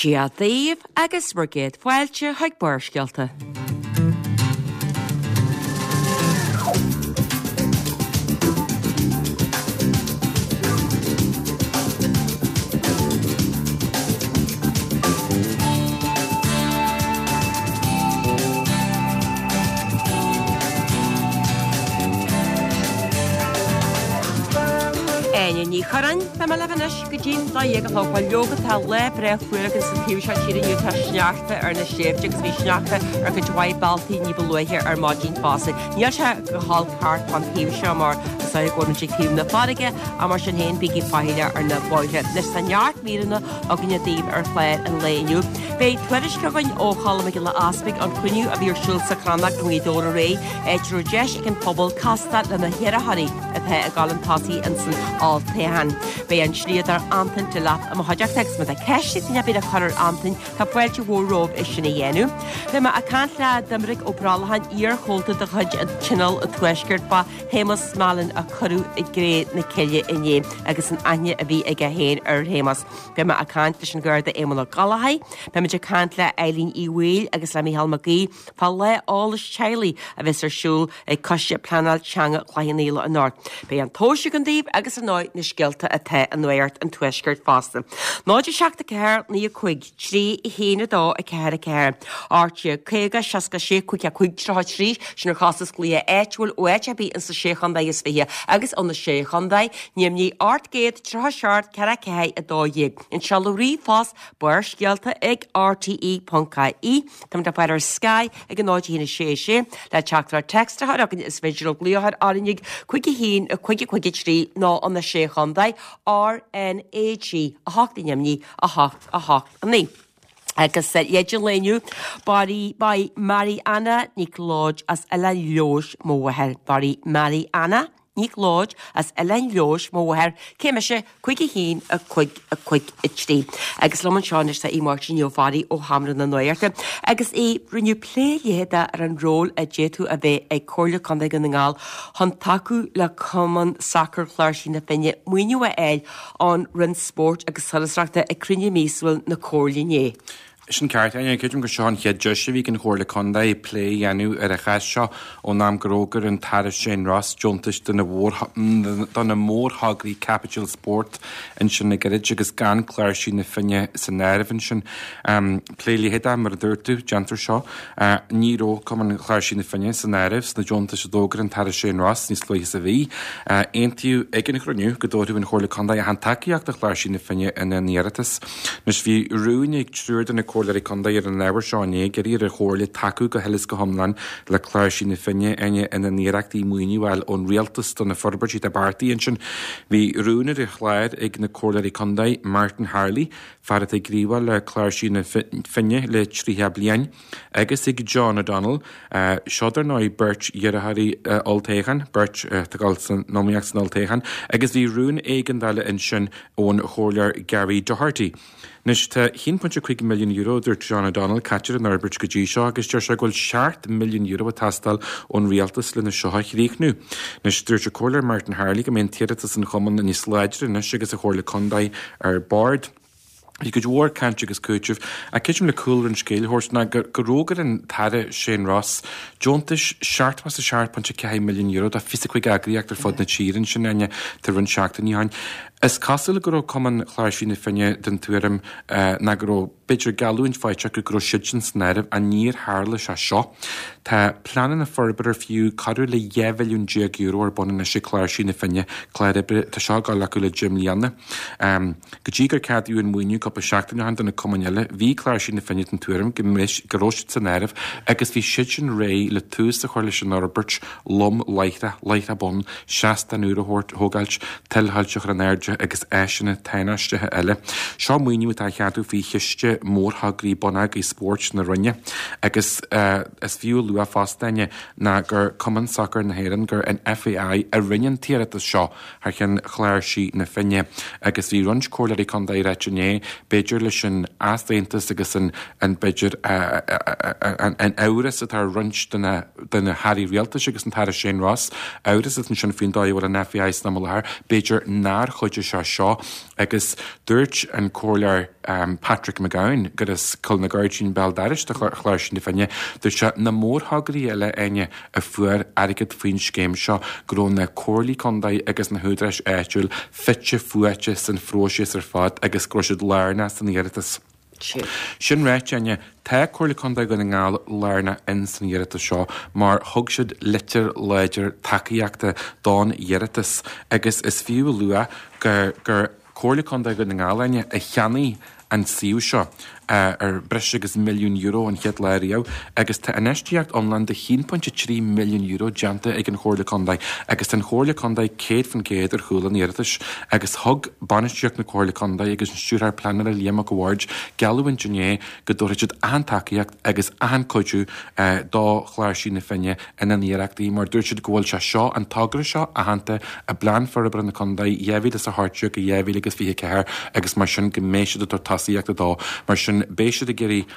Dia daoibh agus bhur gcéad fáilte chuig Barrscéalta. Áine Ní Churráin, Tá mé libh anois go dtí'n 12 a chlog. Bhuel leoga tá lá breá fuar againn sa taobh seo tíre inniu, tá sneachta ar na sléibhte agus bhí sneachta ar chuid mhaith bealtaí ní ba luaithe ar maidin fosta. Níl sé go holc thart fán taobh seo mar is dóigh go bhfuil muid ag taobh na farraige ach mar sin féin bígí faichilleach ar na bóithre. Anois tá neart míreanna againne daoibh ar chlár an lae inniu. Beidh tuairisc againn ó Cholm Mac Giolla Easpaig ón chruinniú a bhí ar siúl sa Chrannóg i nGaoth Dobhair aréir, áit a raibh deis ag an phobal castáil le na hiarrthóirí atá ag dul chun tosaigh ins an olltoghchán. Beidh an slíodóir Antain Delap i mo chuideachta agus má tá ceist ag duine ar bith le cur ar Antain, tá fáilte mhór romhaibh é sin a dhéanamh. Beidh mé ag caint le Doiminic Ó Brollacháin, iar-chomhalta de chuid an Tionól an Tuaiscirt fá Shéamus Mallon a cuireadh i gcré na cille inné agus an aithne a bhí aige féin ar Shéamus. Beidh mé ag caint leis an Gharda Éamonn Ó Gallchóir, beimid ag caint le Eileen Uí Bhaoill agus le Micheál Mac Aoidh fá lá eolais teaghlaigh a bheas ar siúl ag Coiste Pleanáil Teanga Chloich Cheann Fhaola anocht. Beidh an tomhas againn daoibh agus ar ndóigh na scéalta atá i Nuacht an Tuaiscirt fosta. 0 7 4 9 5 3 1 2 4 4 18 50 66 5 5 33 Sin ar chostas glaoch áitiúil ó áit ar bith ins na Sé Chontae is Fiche agus ó na Sé Chontae, ainmnigh 837 4 4 12. An seoladh ríomhphost Barrscéalta ag rte.ie. Táimid le fáil ar Sky ag 0 1 6 6 le teachtaireacht text a chur chugainn is féidir libh glaoch ar RnaG 5 1 5 5 3 nó ó na Sé Chontae RnaG 8 ainmnigh 8 8 9. Agus leid an lae inniu, ba í Mary Anna Nic Lodge as Oileán Leodhais mo mháthair. Ba í Mary Anna Nic Lodge as Oileán Leodhais mo mháthair. Cé mise? 5 1 5 5 3. Agus liom anseo anois tá Aodh Máirtín Ó Fearraigh ó Sheomra na Nuachta. Agus a Aoidh, rinneadh plé leitheadach ar an ról a d'fhéadfadh a bheith ag Comhairle Contae Dhún na nGall chun tacú le Cumann Sacair Chláirsigh na Finne maoiniú a fháil ón Roinn Spóirt agus Turasóireachta ag cruinniú míosúil na Comhairle inné. Sin ceart, Áine. Creidim gur seo an chéad deis a bhí ag an Chomhairle Contae plé a dhéanamh ar an chás seo ón am gur fhógair an tAire Shane Ross deontais do na mórthograí caipitil spóirt ansin le gairid agus gan Cláirsigh na Finne san áireamh ansin. Plé leitheadach, mar a dúirt tú, déantar seo. Ní raibh Cumann Chláirsigh na Finne san áireamh sna deontais a d'fhógair an tAire Shane Ross níos luaithe sa mhí. Aontaíodh ag an chruinniú go dtabharfadh an Chomhairle Contae achan tacaíocht do Chláirsigh na Finne ina n-iarratas. Anois bhí rún ag triúr de na Comhairleoirí Contae ar an ábhar seo inné ag iarraidh ar an Chomhairle tacú go huile is go hiomlán le Cláirsigh na Finne ina n-iarrachtaí maoiniú a fháil ón Rialtas do na forbairtí atá beartaithe ansin. Bhí rún ar an chlár ag na Comhairleoirí Contae, Martin Harley, fear atá ag gníomhú le Cláirsigh na Finne le 30 bliain, agus ag John O'Donnell, seo dar ndóigh beirt iarrthóirí olltoghcháin, beirt atá ag dul san iomaíocht san olltoghchán, agus bhí rún éigeandála ansin ón Chomhairleoir Gary Doherty. Anois tá €1.5 milliún, a dúirt John O'Donnell, caite ar an fhorbairt go dtí seo agus deir sé go bhfuil €7 milliún ag teastáil ón rialtas lena seo a chríochnú. Anois dúirt an Comhairleoir Martin Harley go mbeidh an t-iarratas an chumainn níos láidre anois agus an Chomhairle Contae ar bord. Bhí cuid mhór cainte agus cúitimh, ach creidim le cúlra an scéil a thabhairt ná gur fhógair an tAire Shane Ross deontais €77.4 milliún do 25 eagraíocht ar fud na tíre ansin, Áine, tá roinnt seachtainí ó shin. Is cosúil go raibh Cumann Chláirsigh na Finne den tuairim ná go raibh, b'fhéidir, geallúint faighte acu go raibh siadsan san áireamh ach níor tharla sé seo. Tá pleananna forbartha ar fiú corradh le €12 mhilliún ar bun anois ag Cláirsigh na Finne, clár oibre atá seo ag dul acu le 10 mbliana. Go dtí gur ceadaíodh an maoiniú cúpla seachtain ó shin do na cumainn eile, bhí Cláirsigh na Finne den tuairim go go raibh siad san áireamh agus bhí siadsan réidh le tús a chur leis an fhorbairt lom láithreach, láithreach bonn, seastán úr a thabhairt, thógáilt, tuilthoilte a chur in airde agus áiseanna tánaisteacha eile. Seo maoiniú atá á cheadú faoi Chiste Mórthograí Bonneagair Spóirt na Roinne agus is fiú a lua fosta, Áine, ná gur Cumann Sacair na hÉireann, gur an FAI a rinne an t-iarratas seo. thar cheann Chláirsigh na Finne agus bhí roinnt comhairleoirí contae ag ráit inné, b'fhéidir leis an easaontas agus an, an b'fhéidir, an amhras atá ar roinnt de na, de na hairí rialtais agus an tAire Shane Ross, amhras atá ansin faoin dóigh a bhfuil an FAI san am i láthair, b'fhéidir nár chuidigh. gcuideoidh sé seo agus dúirt an Comhairleoir Patrick McGowan gur as Cill na Gairdín béal dorais do Chláirsigh na Finne, dúirt sé na mórthograí eile, Áine, a fuair airgead faoin scéim seo go raibh na comhairlí contae agus na húdaráis áitiúil fite fuaite san phróiseas ar fad agus go raibh siad lárnach san iarratas. Sin ráite, Áine, tá Comhairle Contae Dhún na nGall lárnach in san iarratas seo mar thug siad litir láidir tacaíochta don iarratas agus is fiú a lua gur gur Comhairle Contae Dhún na nGall, Áine, a cheannaigh an suíomh seo ar breis agus €1 milliún an chéad lá riamh agus tá infheistíocht iomlán de €1.3 milliún déanta ag an Chomhairle Contae agus tá an Chomhairle Contae 100% ar chúl an iarratais agus thug bainistíocht na Comhairle Contae agus an Stiúrthóir Pleanála Liam Mac a' Bhaird geallúint inné go dtabharfaidh siad achan tacaíocht agus achan cuidiú do Chláirsigh na Finne ina n-iarrachtaí mar dúirt siad go bhfuil sé seo, an togra seo, aitheanta i bPlean Forbartha na Contae 2018-2024 agus mar sin go mbeidh siad ag tabhairt tosaíochta dó. Mar sin beidh siad ag iarraidh,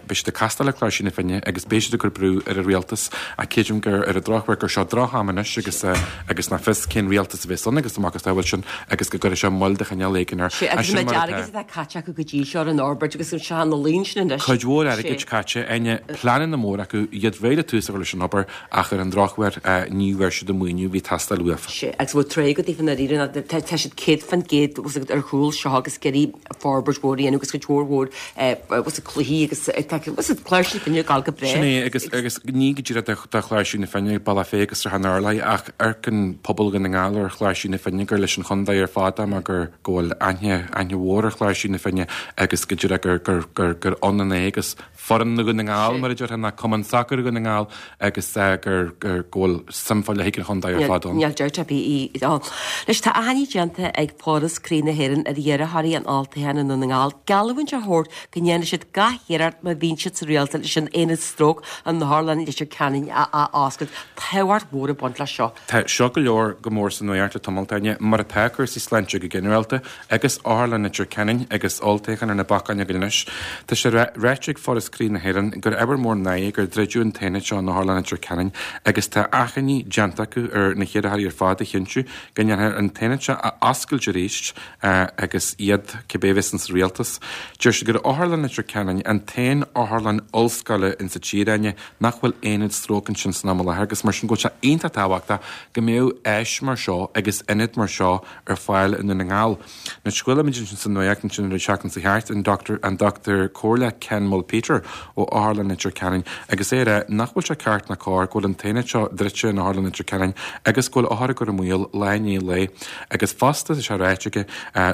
beidh siad ag castáil le Cláirsigh na Finne agus beidh siad ag cur brú ar an rialtas ach creidim gur ar an drochuair gur seo droch-am anois agus agus nach fios cén rialtas a bheas ann agus amach is dá bhfuil sin agus go gcuirfidh sé moill de chineál éigin air. Sea, agus an méid airgid atá caite acu go dtí seo ar an fhorbairt agus an seo na laoin sin anois. Cuid mhór airgid caite, Áine, pleananna móra acu, iad réidh le tús a chur leis an obair ach ar an drochuair ní bhfuair siad an maoiniú a bhí ag teastáil uafa. Sea, agus bhfuil tréig go daofa ndáiríre ná tá tá siad 100% bhfuil siad ar chúl seo agus ag iarraidh forbairt mhór a dhéanamh agus cuid mhór mhór bhfuil siad cluichí agus tá bhfuil siad Cláirsigh na Finne ag gabháil go breá. Sin é agus agus ní go díreach do Chláirsigh na Finne, Bealach Féich agus Srath an Urláir ach amharcann pobal Dhún na nGall ar Chláirsigh na Finne gur leis an chontae ar fad é mar gur go bhfuil aithne aithne mhór ar Chláirsigh na Finne agus go díreach gur gur gur gur ionann é agus foireann Dhún na nGall mar a déarfá ná Cumann Sacair Dhún na nGall agus gur gur go bhfuil suim fá leith ag an chontae ar fad ann. Níl dabht ar bith ann. Anois tá achainí déanta ag Foras Croí na hÉireann ar iarrthóirí an olltoghcháin i nDún na nGall geallúint a thabhairt go ndéanfaidh siad gach iarracht má bhíonn siad sa rialtas leis an aonad stróc in Otharlann Leitir Ceanainn a ath-oscailt. Tábhacht mhór ag baint leis seo. Tá seo go leor go mór sa nuacht le tamall, Áine, mar atá cúrsaí sláinte go ginearálta agus Otharlann Leitir Ceanainn agus olltoghchán ar na bacáin againn anois. Tá sé ráite ag Foras Croí na hÉireann gur ábhar mór náire gur druideadh an t-aonad seo in Otharlann Leitir Ceanainn agus tá achainí déanta acu ar na hiarrthóirí ar fad a chinntiú go ndéanfar an t-aonad seo a oscailt arís agus iad, cibé a bheas insa rialtas. Deir siad gur Otharlann Leitir Ceanainn an t-aon otharlann ollscoile insa tír, Áine, nach bhfuil aonad stróc ansin san am i láthair agus mar sin go bhfuil sé iontach tábhachtach go mbeadh áis mar seo agus ionad mar seo ar fáil i nDún na nGall. Anois chuala muid ansin sa nuacht ansin an tseachtain seo thart an Dr an Dr Comhairleach Ken Mulpeter ó Otharlann Leitir Ceanainn agus é ag rá nach bhfuil sé ceart ná cóir go bhfuil an t-aonad seo druidte in Otharlann Leitir Ceanainn agus go bhfuil othair ag cur i mbaol lá i ndiaidh lae agus fosta tá sé ráite aige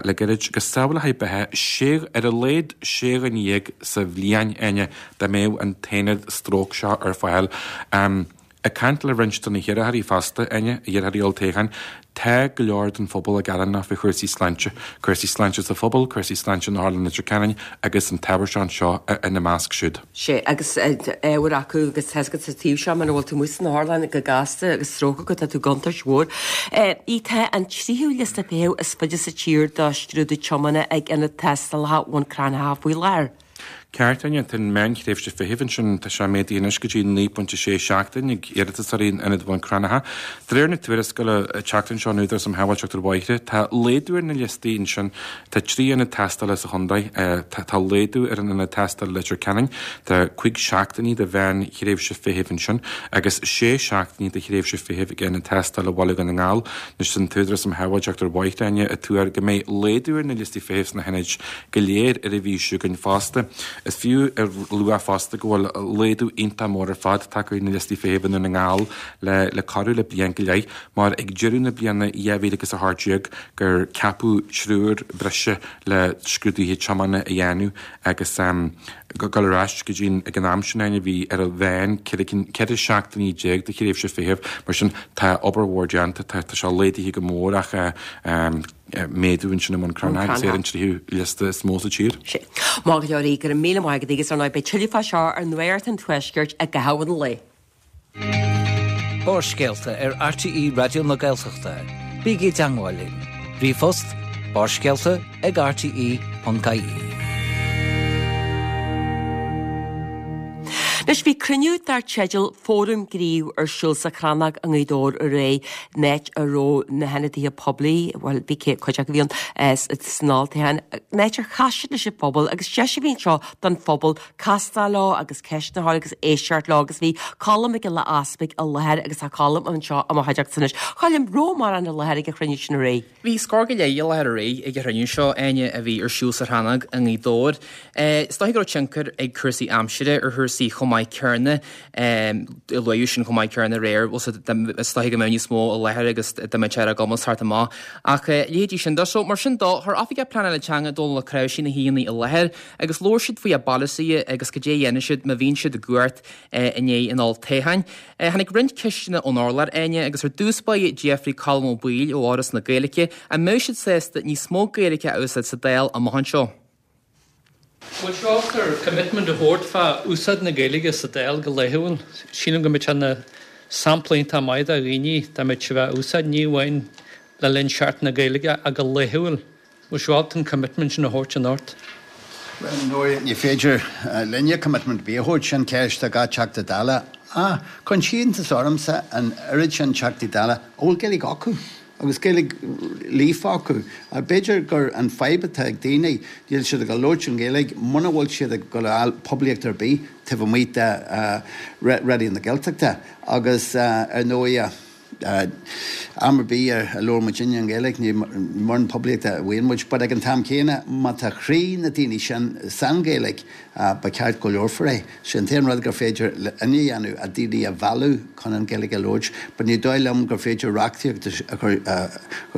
le gairid go sábhálfaí beatha sé ar a laghad sé dhuine dhéag sa bhliain, Áine, dá mbeadh an t-aonad stróc seo ar fáil. Ag caint le roinnt de na hiarrthóirí fosta, Áine, iarrthóirí olltoghcháin, tá go leor den phobal gearánach faoi chúrsaí sláinte, cúrsaí sláinte sa phobal, cúrsaí sláinte in Otharlann Leitir Ceanainn agus an t-ábhar seo anseo ina measc siúd. Sea, agus ábhar acu agus tá a fhios agat sa taobh seo muna bhfuil tú amuigh san otharlann go gasta agus stróc agat tá tú i gcontúirt mhór. Í tá an tríú liosta feithimh is faide sa tír do scrúdú tiomána ag Ionad Tástálacha Bhun Cranncha faoi láthair. Ceart, Áine, tá an meánthréimhse feithimh ansin, tá sé méadaithe anois go dtí 9.6 seachtain ag iarratasóirí in Ionad Bhun Cranncha. De réir na tuarascála an tseachtain seo ón Údarás um Shábháilteacht ar Bhóithre, tá laghdú ar na liostaí ansin. Tá 3 ionad tástála sa chontae. Tá laghdú ar an ionad tástála Leitir Ceanainn, tá 5 seachtainí de mheánthréimhse feithimh ansin agus 6 seachtainí de thréimhse feithimh ag ionad tástála Bhaile Dhún na nGall. Anois tá an tÚdarás um Shábháilteacht ar Bhóithre, Áine, ag tuar go mbeidh laghdú ar na liostaí feithimh sna hionaid go léir ar an mhí seo chugainn fosta. Is fiú a lua fosta go bhfuil laghdú iontach mór ar fad tagtha ar na liostaí feithimh i nDún na nGall le le corradh le bliain go leith mar ag deireadh na bliana 2018 gur ceapadh triúr breise le scrúduithe tiomána a dhéanamh agus dul ar ais go dtí ag an am sin Áine bhí ar a mheán 14 seachtainí de thréimhse feithimh mar sin tá obair mhór déanta tá sé laghdaithe go mór ach méadú ansin i mBun Cranncha agus é ar an tríú liosta is mó sa tír. Sea. Maith go leor, go raibh míle maith agat agus ar ndóigh beidh tuilleadh fá seo ar Nuacht an Tuaiscirt i gcaitheamh an lae. Barrscéalta ar RTÉ Raidió na Gaeltachta. Bígí i dteangmháil linn. Ríomhphost, barrscéalta ag rte.ie. Anois bhí cruinniú dar teideal Fóram Gnímh ar siúl sa Chrannóg i nGaoth Dobhair aréir, in áit a raibh na hionadaithe poiblí, bhuel bhí cuid acu a bhí ann san olltoghchán, in áit ar chas siad leis an phobal agus deis a bhí anseo don phobal castáil leo agus ceisteanna a chur agus éisteacht leo agus bhí Colm Mac Giolla Easpaig i láthair agus tá Colm anseo i mo chuideachta anois. Choilm, raibh mórán i láthair ag an chruinniú sin aréir? Bhí scór go leith i láthair aréir ag an chruinniú seo, Áine, a bhí ar siúl sa Chrannóg i nGaoth Dobhair. Is dóiche go raibh tionchar ag cúrsaí aimsire ar chúrsaí chomh maith céanna. Luadh sin chomh maith céanna aréir, is dóiche go mbeadh níos mó i láthair agus dá mbeadh sé ar a gcumas theacht amach. Ach leithéidí sin de. So, mar sin dó, chuir Oifigeach Pleanála Teanga Dónal Ó Cnáimhsí na haíonna i láthair agus labhair siad faoi a bpolasaithe agus cad é a dhéanfaidh siad má bhíonn siad i gcumhacht i ndiaidh an olltoghcháin. Tháinig roinnt ceisteanna ón urlár, Áine, agus ar dtús báire d'fhiafraigh Colm Ó Baoill ó Fhoras na Gaeilge an mbeadh siad sásta níos mó Gaeilge a úsáid sa Dáil amach anseo. Bhfuil sibh ábalta ar commitment a thabhairt fá úsáid na Gaeilge sa Dáil go laethúil? Sílim go mbeadh sé ina sampla iontach maith do dhaoine dá mbeadh sibh á úsáid, ní amháin le linn Seachtain na Gaeilge ach go laethúil. Bhfuil sibh ábalta an commitment sin a thabhairt anocht? Bhuel, ar ndóigh, ní féidir linne commitment ar bith a thabhairt, sin ceist do gach Teachta Dála. Ach cuireann sé iontas ormsa an oiread sin Teachtaí Dála a bhfuil Gaeilge acu, agus Gaeilge líofa acu. B'fhéidir gur an fadhb atá ag daoine, níl siad ag dul labhairt an Ghaeilge muna bhfuil siad ag dul a fháil poiblíocht ar bith taobh amuigh de Raidió na Gaeltachta. Agus ar ndóigh, Am ar bith a labhrann muidinne an Ghaeilge, ní mórán poiblíochta a bhfaigheann muid, but ag an t-am céanna, má tá croí na daoine sin san Ghaeilge, ba cheart go labharfar é. Sé an t-aon rud gur féidir linne a dhéanamh, a daoine a mhealladh chun an Ghaeilge a labhairt, but ní dóigh liom gur féidir reachtaíocht a chur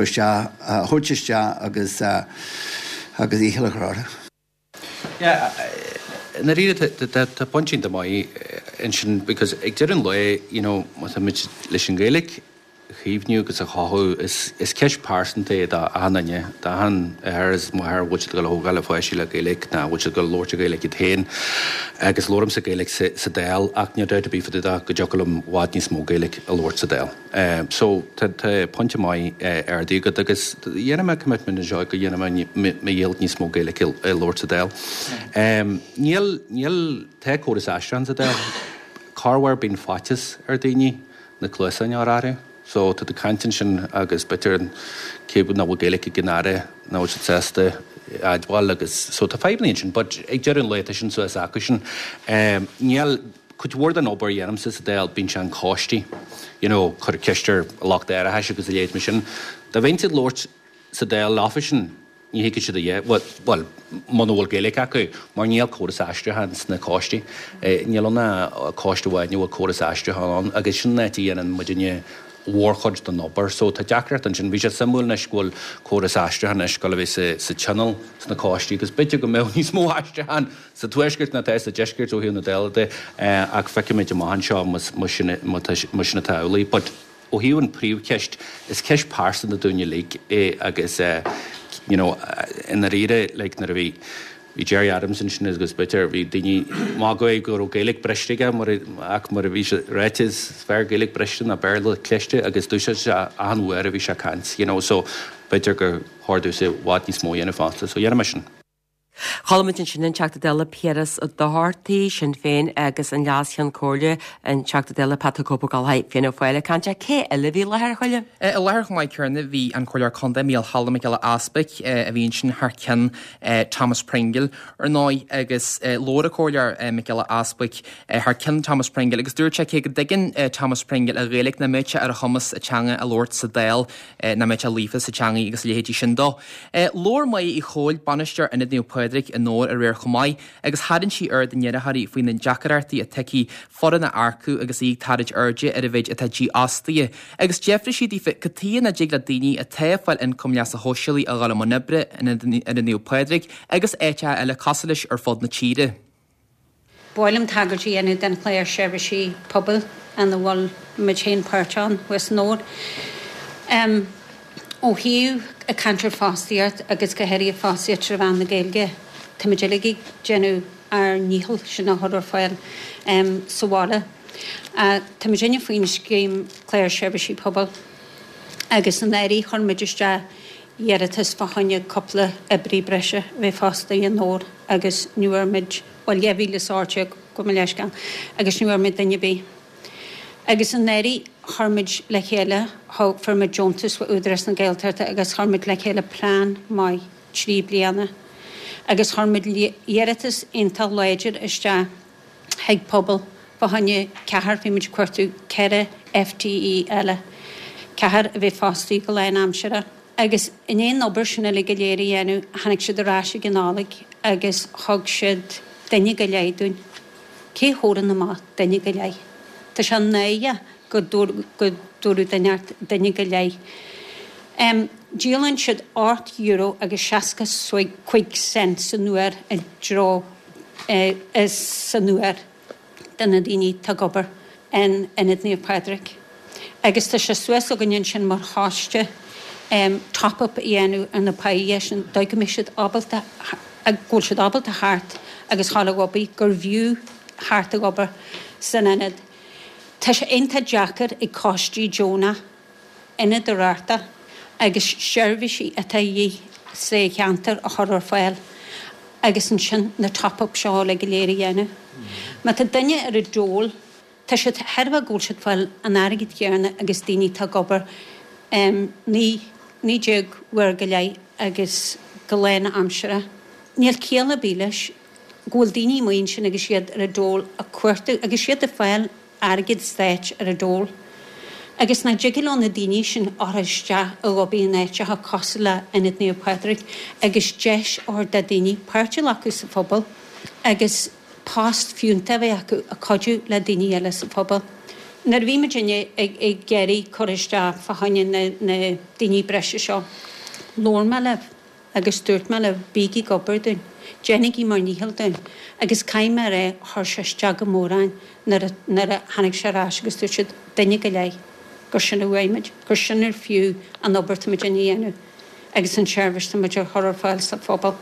isteach, a thabhairt isteach agus agus iachall a chur orthu. Yeah, i ndáiríre tá pointe iontach maith ansin because ag deireadh an lae, you know, má tá muid leis an Ghaeilge a chaomhnú agus a chothú, is ceist pearsanta é do achan duine, do achan athair is máthair a bhfuil siad ag dul a thógáil a pháistí le Gaeilge nó a bhfuil siad ag dul a labhairt Gaeilge iad féin. Agus labhraímse Gaeilge sa Dáil ach níl dabht ar bith fá dtaobh de go dtiocfadh liom i bhfad níos mó Gaeilge a labhairt sa Dáil. So, tá pointe maith ardaithe agat agus dhéanfaidh mé commitment anseo go dhéanfaidh mé mo dhícheall níos mó Gaeilge a labhairt sa Dáil. Níl, níl, tá córas aistriúcháin sa Dáil. Corruair bíonn faitíos ar daoine na cluasáin a chur orthu. So, tá tú ag caint ansin agus b'fhéidir cé nach bhfuil Gaeilge ag an Aire, nach bhfuil siad sásta a admháil agus so tá fadhbanna ansin but ag deireadh an lae tá sin suas acusan. Níl. Cuid mhór den obair a dhéanaimse sa Dáil, bíonn sé an coistí, you know, cur ceist ar lucht árachais agus a leithéid mar sin. Dá mbeinnse ag labhairt sa Dáil leofasan, ní thuigfidh siad a dhath, bhuel, muna bhfuil Gaeilge acu, mar níl córas aistriúcháin sna coistí. Níl ann ach coiste amháin a bhfuil córas aistriúcháin ann agus sin an áit a dhéanann muidinne mhórchuid den obair. So tá deacracht ansin. Bhí sé suimiúil anois go bhfuil córas aistriúcháin anois ag dul a bheith sa Tionól sna coistí agus b'fhéidir go mbeadh níos mó aistriúcháin sa tuaisceart ná atá sa deisceart ó thaobh na Dála de ach feicfimid amach anseo más sin atá amhlaidh. But ó thaobh an príomhcheist, is ceist pearsanta dúinn uilig é agus you know i ndáiríre like nuair a bhí bhí Gerry Adams ansin agus b'fhéidir bhí daoine ag magadh go raibh Gaeilge briste aige mar ach mar a bhí sé ráite is fearr Gaeilge briste ná Béarla cliste agus d'úsáid sé achan uair a bhí sé ag caint you know so b'fhéidir gur chóir domhsa i bhfad níos mó a dhéanamh fosta so dhéanfaidh mé sin. Chuala muid ansin an Teachta Dála Piaras Ó Dochartaigh, Sinn Féin, agus an Leas-Cheann Comhairle, an Teachta Dála Pat the Cope Ó Gallchóir, Fianna Fáil, ag caint. Cé eile a bhí i láthair, a Choilm? I láthair chomh maith céanna bhí an Comhairleoir Contae Mícheál Choilm Mac Giolla Easpaig a bhí ansin thar ceann Thomas Pringle, ar ndóigh, agus labhair an Comhairleoir Mac Giolla Easpaig thar ceann Thomas Pringle agus dúirt sé cé go dtuigeann Thomas Pringle an Ghaeilge nach mbeadh sé ar a chumas an teanga a labhairt sa Dáil. nach mbeadh sé líofa sa teangaidh agus a leithéidí sin dó. Labhair Máire Uí Chomhail, Bainisteoir Ionad Naomh Pádraig i nDobhar aréir chomh maith agus tharraing sí aird na n-iarrthóirí faoi na deacaireachtaí atá aici foireann a earcú agus í ag tarraingt airde ar an mhéid atá dífhostaithe. Agus d'fhiafraigh sí daofa cad tuighe nach dtig le daoine atá ag fáil ioncam leasa shóisialaigh a dhul i mbun oibre in Ionad Naomh Pádraig agus áiteacha eile cosúil leis ar fud na tíre. Ba mhaith liom tagairt a dhéanamh don chlár seirbhísí pobail ina bhfuil muid féin páirteach ann thuas i nDobhar. Ó thaobh ag caint ar fostaíocht agus go háirithe fostaíocht trí mheán na Gaeilge, táimid uilig ag déanamh ár ndícheall sin a chur ar fáil sa bhaile. Táimid inne faoin scéim clár seirbhísí pobail agus anuraidh chuir muid isteach. iarratas fá choinne cúpla oibrí breise a bheith fostaithe i nDobhar agus ní bhfuair muid, bhuel, 2018, gabh mo leithscéal, agus ní bhfuair muid duine ar bith. Agus anuraidh chuir muid le chéile, fuair muid deontas ó Údarás na Gaeltachta agus chuir muid le chéile plean maith 3 bliana agus chuir muid iarratas iontach láidir isteach chuig pobal fá choinne ceathrar, bhí muid ag cuartú 4 FTE eile, ceathrar a bheith fostaithe go lánaimseartha. Agus i ndiaidh an obair sin uilig go léir a dhéanamh, tháinig siad ar ais ag an Nollaig agus thug siad duine go leith dúinn. Cé thabharfainn amach duine go leith? Tá sé náireach go dtabharfadh duine ort duine go leith. Díolann siad €8 agus 65 cent san uair i dtreo san uair do na daoine atá ag obair in Ionad Naomh Pádraig. Agus tá sé suas againn ansin mar choiste top-up a dhéanamh ar na páighe sin dóigh go mbeidh siad ábalta, go bhfuil siad ábalta theacht agus dhul ag obair, gur bhfiú theacht ag obair san ionad. Tá sé iontach deacair ag coistí deonach ionad a reáchtáil agus seirbhísí atá a dhíth sa cheantar a chur ar fáil agus ansin na top-up seo uilig go léir a dhéanamh. Má tá duine ar an dole, tá siad thairbhe go bhfuil siad ag fáil an airgead chéanna agus daoine atá ag obair 19 19 uair go leith agus go lánaimseartha. Níl ciall ar bith leis go bhfuil daoine amuigh ansin agus iad ar an dole ag cuartú agus iad ag fáil airgead stáit ar an dole. Agus nach dtig leo na daoine sin a chur isteach ag obair in áiteacha cosúil le Ionad Naomh Pádraig agus deis a thabhairt do daoine páirt a ghlacadh sa phobal agus post fiúntach a bheith acu ag cuidiú le daoine eile sa phobal. Nuair a bhí muidinne ag iarraidh cur isteach fá choinne na daoine breise seo, labhair mé libh. Agus dúirt mé libh, Bígí ag obair dúinn, déanaigí bhur ndícheall dúinn. Agus caithfidh mé a rá, chuir sé isteach go mór orainn nuair a, nuair a tháinig sé ar ais agus dúirt siad, duine go leith, gur sin a uaidh muid, gur sin ar fiú an obair tá muid a dhéanamh agus an tseirbhís tá muid a chur ar fáil sa phobal.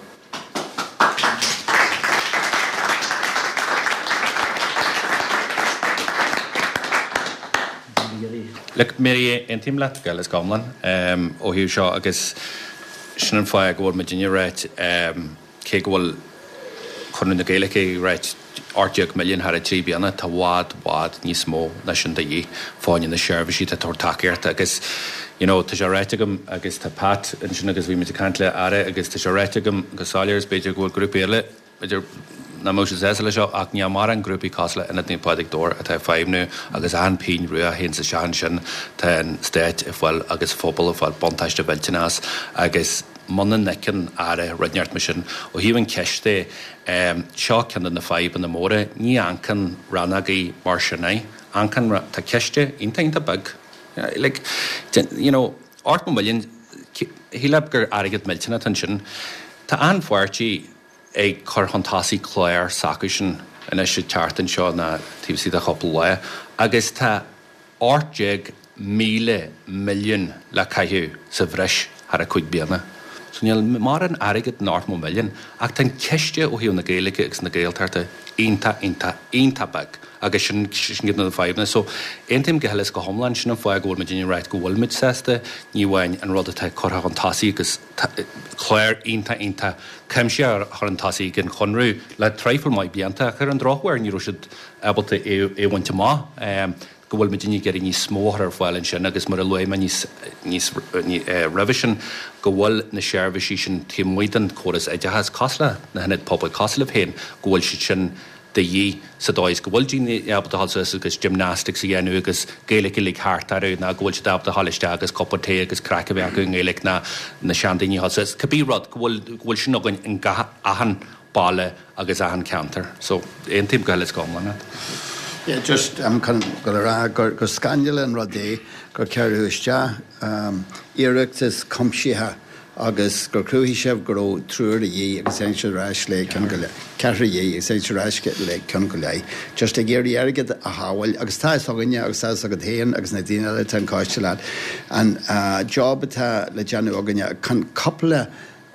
Look, Mary, aontaím leat go huile is go hiomlán ó thaobh seo agus sin an fáth go bhfuil muidinne ag ráit, cé go bhfuil Conradh na Gaeilge ag ráit 18 milliún thar 3 bliana, tá bhfad, bhfad níos mó ná sin de dhíth fá choinne na seirbhísí atá ag tabhairt tacaíochta agus you know tá sé ráite agam agus tá Pat ansin agus bhí muid ag caint le Aire agus tá sé ráite agam go soiléir is b'fhéidir go bhfuil grúpaí eile b'fhéidir nach mbeadh siad sásta leis seo ach níl mórán grúpaí cosúil le Ionad Naomh Pádraig Dobhair atá ag feidhmniú agus achan phingin rua a théanns isteach ansin tá an Stát ag fáil agus an phobal ag fáil buntáiste mhillteanach as agus muna n-fheiceann Aire rud inteacht mar sin ó thaobh an chiste de seo ceann de na fadhbanna móra ní amharcann rannógaí mar sin é amharcann tá ciste iontach iontach beag like you know 80 milliún shílfeá gur airgead millteanach atá ansin tá achan pháirtí ag cur chun tosaigh clár s'acusan anois an tseachtain seo ná taobh istigh de chúpla lá agus tá 18,000 milliún le caitheamh sa bhreis thar a 5 bliana. So níl mórán airgid in 80 milliún ach tá an ciste ó thaobh na Gaeilge agus na Gaeltachta iontach, iontach, iontach beag agus sin sin ceann de na fadhbanna. So aontaím go huile is go hiomlán, sin an fáth go bhfuil muidinne ag ráit go bhfuil muid sásta ní amháin an rud atá curtha chun tosaigh agus clár iontach iontach cuimsitheach a chur chun tosaigh ag an Chonradh le traidhfil maith blianta ach ar an drochuair ní raibh siad ábalta é a bhaint amach. Go bhfuil muidinne ag iarraidh níos mó a chur ar fáil ansin agus mar a luaigh mé níos níos roimhe sin go bhfuil na seirbhísí sin taobh amuigh den chóras oideachais cosúil le na hionaid pobail cosúil libh féin go bhfuil siad sin de dhíth sa dóigh is go bhfuil daoine ábalta a dhul suas agus gymnastics a dhéanamh agus Gaeilge uilig thart orthu ná go bhfuil siad ábalta a dhul isteach agus cupa tae agus craic a bheith acu i nGaeilge ná na seandaoine a dhul suas, cibé rud, go bhfuil, go bhfuil sin againn in gach achan baile agus achan ceantar. So, aontaím go huile is go hiomlán leat. Yeah, just um, chun go a rá gur, gur scannal an rud é gur cuireadh isteach um, iarratas cuimsitheach agus gur chruthaigh sibh go raibh triúr a dhíth agus tháinig siad ar ais le ceann go leith, ceathrar a dhíth agus tháinig siad ar ais le ceann go leith. Just ag iarraidh airgead a shábháil agus tá fhios againne agus tá fhios agat féin agus na daoine eile atá an coiste leat an job atá le déanamh againne chun cúpla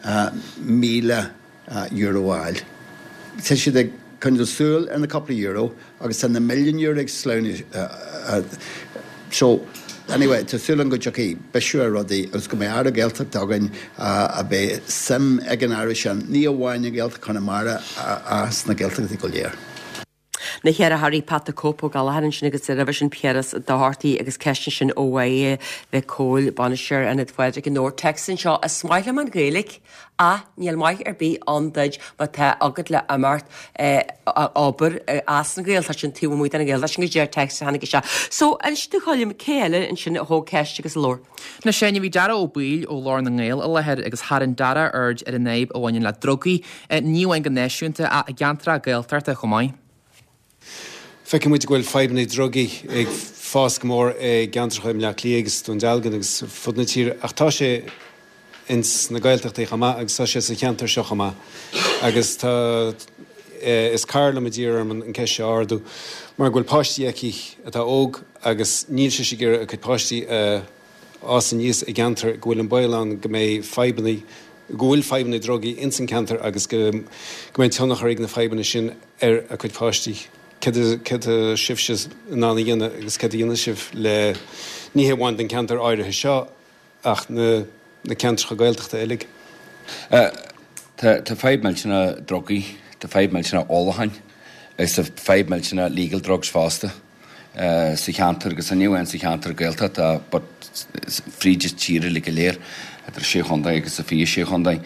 €1,000 a fháil. Tá siad ag coinneáil súil ar na cúpla euro agus tá na milliúin euro ag sleamhnú so. Anyway, tá súil agam go dtiocfaidh bisiú ar rudaí agus go mbeidh Aire Gaeltachta againn a mbeidh suim ag an Aire sin, ní amháin i nGaeltacht Chonamara ach sna Gaeltachtaí go léir. Na ceithre hairí Pat the Cope Ó Gallchóir ansin agus roimhe sin Piaras Ó Dochartaigh agus ceist ansin ó Mháire Mhic Cóil, Bainisteoir Ionad Phádraig i nDobhar. Téacs anseo, Is maith liom an Ghaeilge ach níl maith ar bith ann duit má tá agat le imeacht ag obair as an Ghaeltacht sin taobh amuigh den Ghaeltacht sin go dtí téacs a tháinig isteach. So, inis domh a Choilm, cé eile ansin a thóg ceist agus a labhair? Anois a Áine, bhí Dara Ó Baoill ó Ghlór na nGael i láthair agus tharraing Dara aird ar an fhadhb a bhaineann le drugaí, ní amháin go náisiúnta ach i gceantracha Gaeltachta chomh maith. Feiceann muid go bhfuil fadhbanna drugaí ag fás go mór i gceantracha i mBleá Cliath agus Dún Dealgan agus fud na tíre ach tá sé ins na Gaeltachtaí chomh maith agus tá sé sa cheantar seo chomh maith agus tá is cara liom a d'iarr orm an ceist seo a ardú mar go bhfuil páistí aici atá óg agus níl sise ag iarraidh a cuid páistí a fhás aníos i gceantar go bhfuil an baol ann go mbeidh fadhbanna go bhfuil fadhbanna drugaí ins an ceantar agus go mbeidh tionchar ag na fadhbanna sin ar a cuid páistí. Céard atá sibhse in ann a dhéanamh agus céard a dhéanfaidh sibh le, ní hé amháin don ceantar áirithe seo ach na ceantracha Gaeltachta uilig? Tá fadhb millteanach drugaí, tá fadhb millteanach ólacháin agus tá fadhb millteanach legal drugs fosta. sa cheantar agus ní amháin sa cheantar Gaeltachta but fríd an tír uilig go léir, idir sé chontae agus a 26 chontae.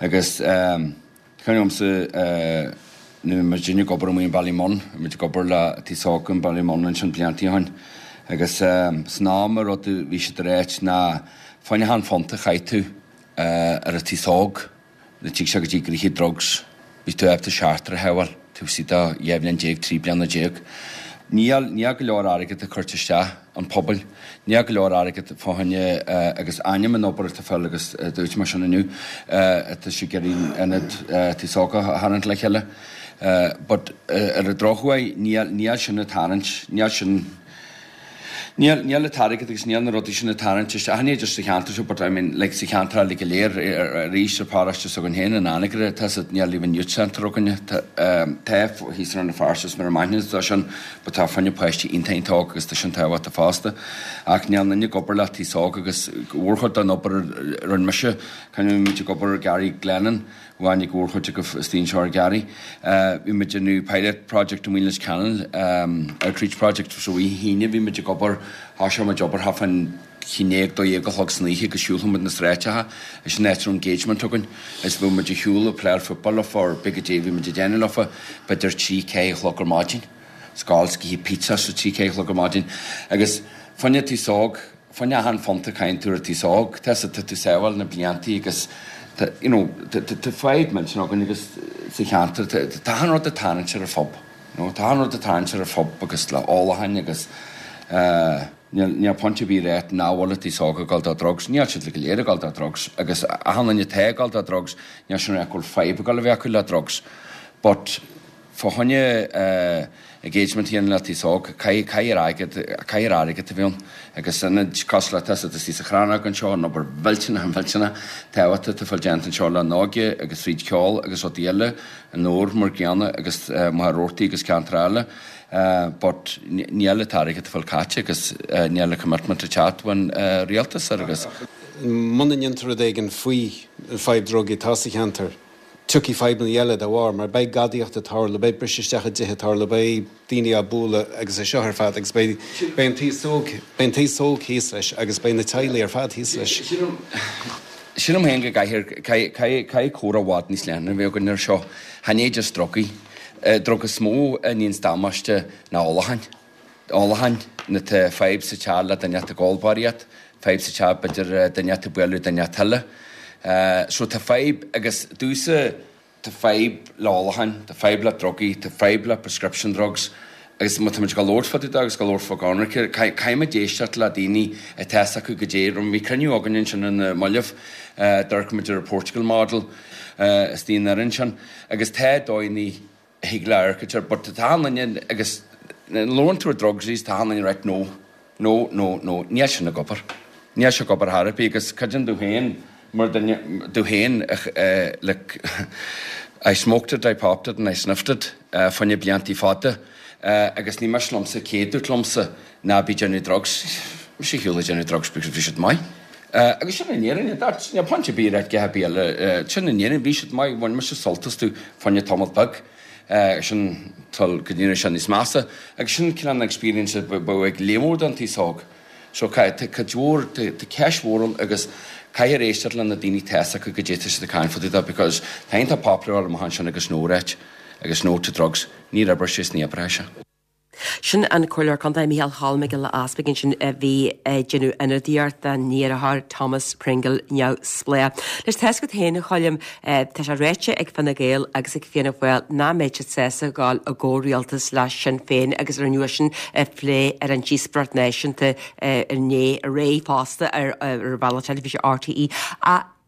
Agus cuimhin liomsa nuair a bhí muidinne ag obair amuigh in Ballymun, bhí muid ag obair le Aos Óg in Ballymun ansin bliantaí ó shin agus san am an rud a bhí siad ag ráit ná fá choinne achan phunt a chaith tú ar an t-aos óg, Nuair a tig sé go dtí gnoithe drugs, bhí tú ábalta seachtar a shábháil taobh istigh de 12 bhliain, 13 bliana. Níl, níl go leor airgead ag cuirt isteach an pobail, níl go leor airgead fá choinne agus ainm an obair atá fáil agus dúirt mé sin inniu, tá sé ag iarraidh ionad Aos Óg a tharraingt le chéile. But ar an drochuair níl, níl sin ag tarraingt, níl sin, Níl, níl an t-airgead agus níl na rudaí sin ag tarraingt isteach, ní just sa cheantar seo but I mean like sa cheantar eile go léir arís ar pharóiste s'againn féin in Anagaire tá siad, níl even youth centre againne, tá, tá thíos in Rann na Feirste is mura maith tá sin but tá fá choinne páistí iontach iontach óg agus tá sin tábhachtach fosta ach níl aon duine ag obair le taos óg agus mhórchuid den obair a rinne mise, cuimhním muid ag obair Gary Glennon, Bhain ag mhórchuid acu istigh anseo ar Gary. Bhí muid ag déanamh pilot project i Muileann Ceanainn, outreach project, so oíche hAoine bhí muid ag obair, thoiseodh muid obair thart fán 11, 12 a chlog san oíche agus shiúlfadh muid na sráideacha, is an áit a raibh engagement againn, is bheadh muid ag shiúl ag playáil football leofa or pé goidé a bhí muid ag déanamh leofa, b'fhéidir 3, 4 a chlog ar maidin, 's ag gabháil 's ag ithe pizza so 3, 4 a chlog ar maidin agus fá choinne an t-aos óg, Fá choinne achan phunt a chaitheann tú ar an t-aos óg, tá tá tú sábháil na bliantaí agus tá you know tá tá fadhb millteanach againn agus sa cheantar tá tá achan rud ag tarraingt ar an phub, you know tá achan rud ag tarraingt ar an phub agus le ólacháin agus eh níl níl point ar bith a ráit nach bhfuil an t-aos óg ag dul do drugs, níl siad go léir ag dul do drugs agus achan duine atá ag dul do drugs níl sin ag rá go bhfuil fadhb ag dul a bheith acu le drugs but Fá choinne engagement a dhéanamh le t-aos óg, caithfidh airgead, caithfidh airgead a bheith ann. Agus ionaid cosúil le tá istigh sa Chrannóg anseo, an obair mhillteanach, mhillteanach tábhachtach atá fáil déanta anseo le an óige agus fríd cheol agus rudaí eile, an Iúr mar gcéanna agus Machaire Rabhartaigh agus ceantar eile. But níl an t-airgead ag fáil caite agus níl an commitment ag teacht ón rialtas air agus. Muna ndéantar rud éigin faoi an fadhb drugaí atá sa cheantar, Tiocfaidh fadhbanna eile dá bharr, mar beidh gadaíocht ag tarlú, beidh briseadh isteach i dtithe ag tarlú, beidh daoine á bualadh agus é seo ar fad agus beidh beidh an t-aos óg, beidh an t-aos óg thíos leis agus beidh na teaghlaigh ar fad thíos leis. Sílim féin go gcaithfidh, caithfidh, caithfidh comhrá i bhfad níos leithne a bheith againn ar seo. Chan é just drugaí. Drug is mó a níonns damáiste ná ólacháin. Ólacháin, nuair tá fadhb sa teach le duine ag ól barraíocht, fadhb sa teach b'fhéidir duine ag bualadh duine eile. So tá fadhb agus domhsa tá fadhb le ólacháin, tá fadhb le drugaí, tá fadhb le prescription drugs agus má tá muid ag labhairt fá dtaobh de agus ag labhairt fá ionraice, caithfidh muid éisteacht le daoine atá fhios acu goidé. Bhí cruinniú againn ansin ar na mallaibh, d'amharc muid ar an Portugal model istigh in Éirinn sin agus tá dóigheanna thig le amharc air but tá achan duine agus labhrann tú ar drugs tá achan duine right no, no, no, no, níl sin ag obair. Níl sé ag obair thar ar bith agus creidim domh féin mar duine domh féin like I smoked it, I popped it and I sniffed it fá choinne bliantaí fada agus ní miste liomsa céad dúirt liomsa ná bí déanamh drugs. Mise ar shiúl ag déanamh drugs because bhí siad maith. Agus sin an fhírinne, that's, níl point ar bith a rá a dhath ar bith eile, sin an fhírinne, bhí siad maith, bhain mise sult astu fá choinne tamall beag, sin till go ndéanadh sé níos measa. Agus sin cineál an experience a bheadh ag lear mór den t-aos óg. So tá cuid mhór, tá ceist mhór ann agus caithfear éisteacht le na daoine tá fhios acu goidé tá siad ag caint fá dtaobh de because tá iontach popular amach ansin agus no a ráit agus no to drugs, níor oibrigh sé is ní oibreoidh sé. Sin an Comhairleoir Contae Micheál Cholm Mac Giolla Easpaig ansin a bhí ag déanamh ionadaíocht dá ndheartháir Thomas Pringle neamhspleách. Anois tá fhios agat féin a Choilm, tá sé ráite ag Fine Gael agus ag Fianna Fáil nach mbeidh siad sásta dhul i gcomhrialtas le Sinn Féin agus rinneadh sin a phlé ar an díospóireacht náisiúnta inné aréir fosta ar ar bhealach teilifíse RTÉ.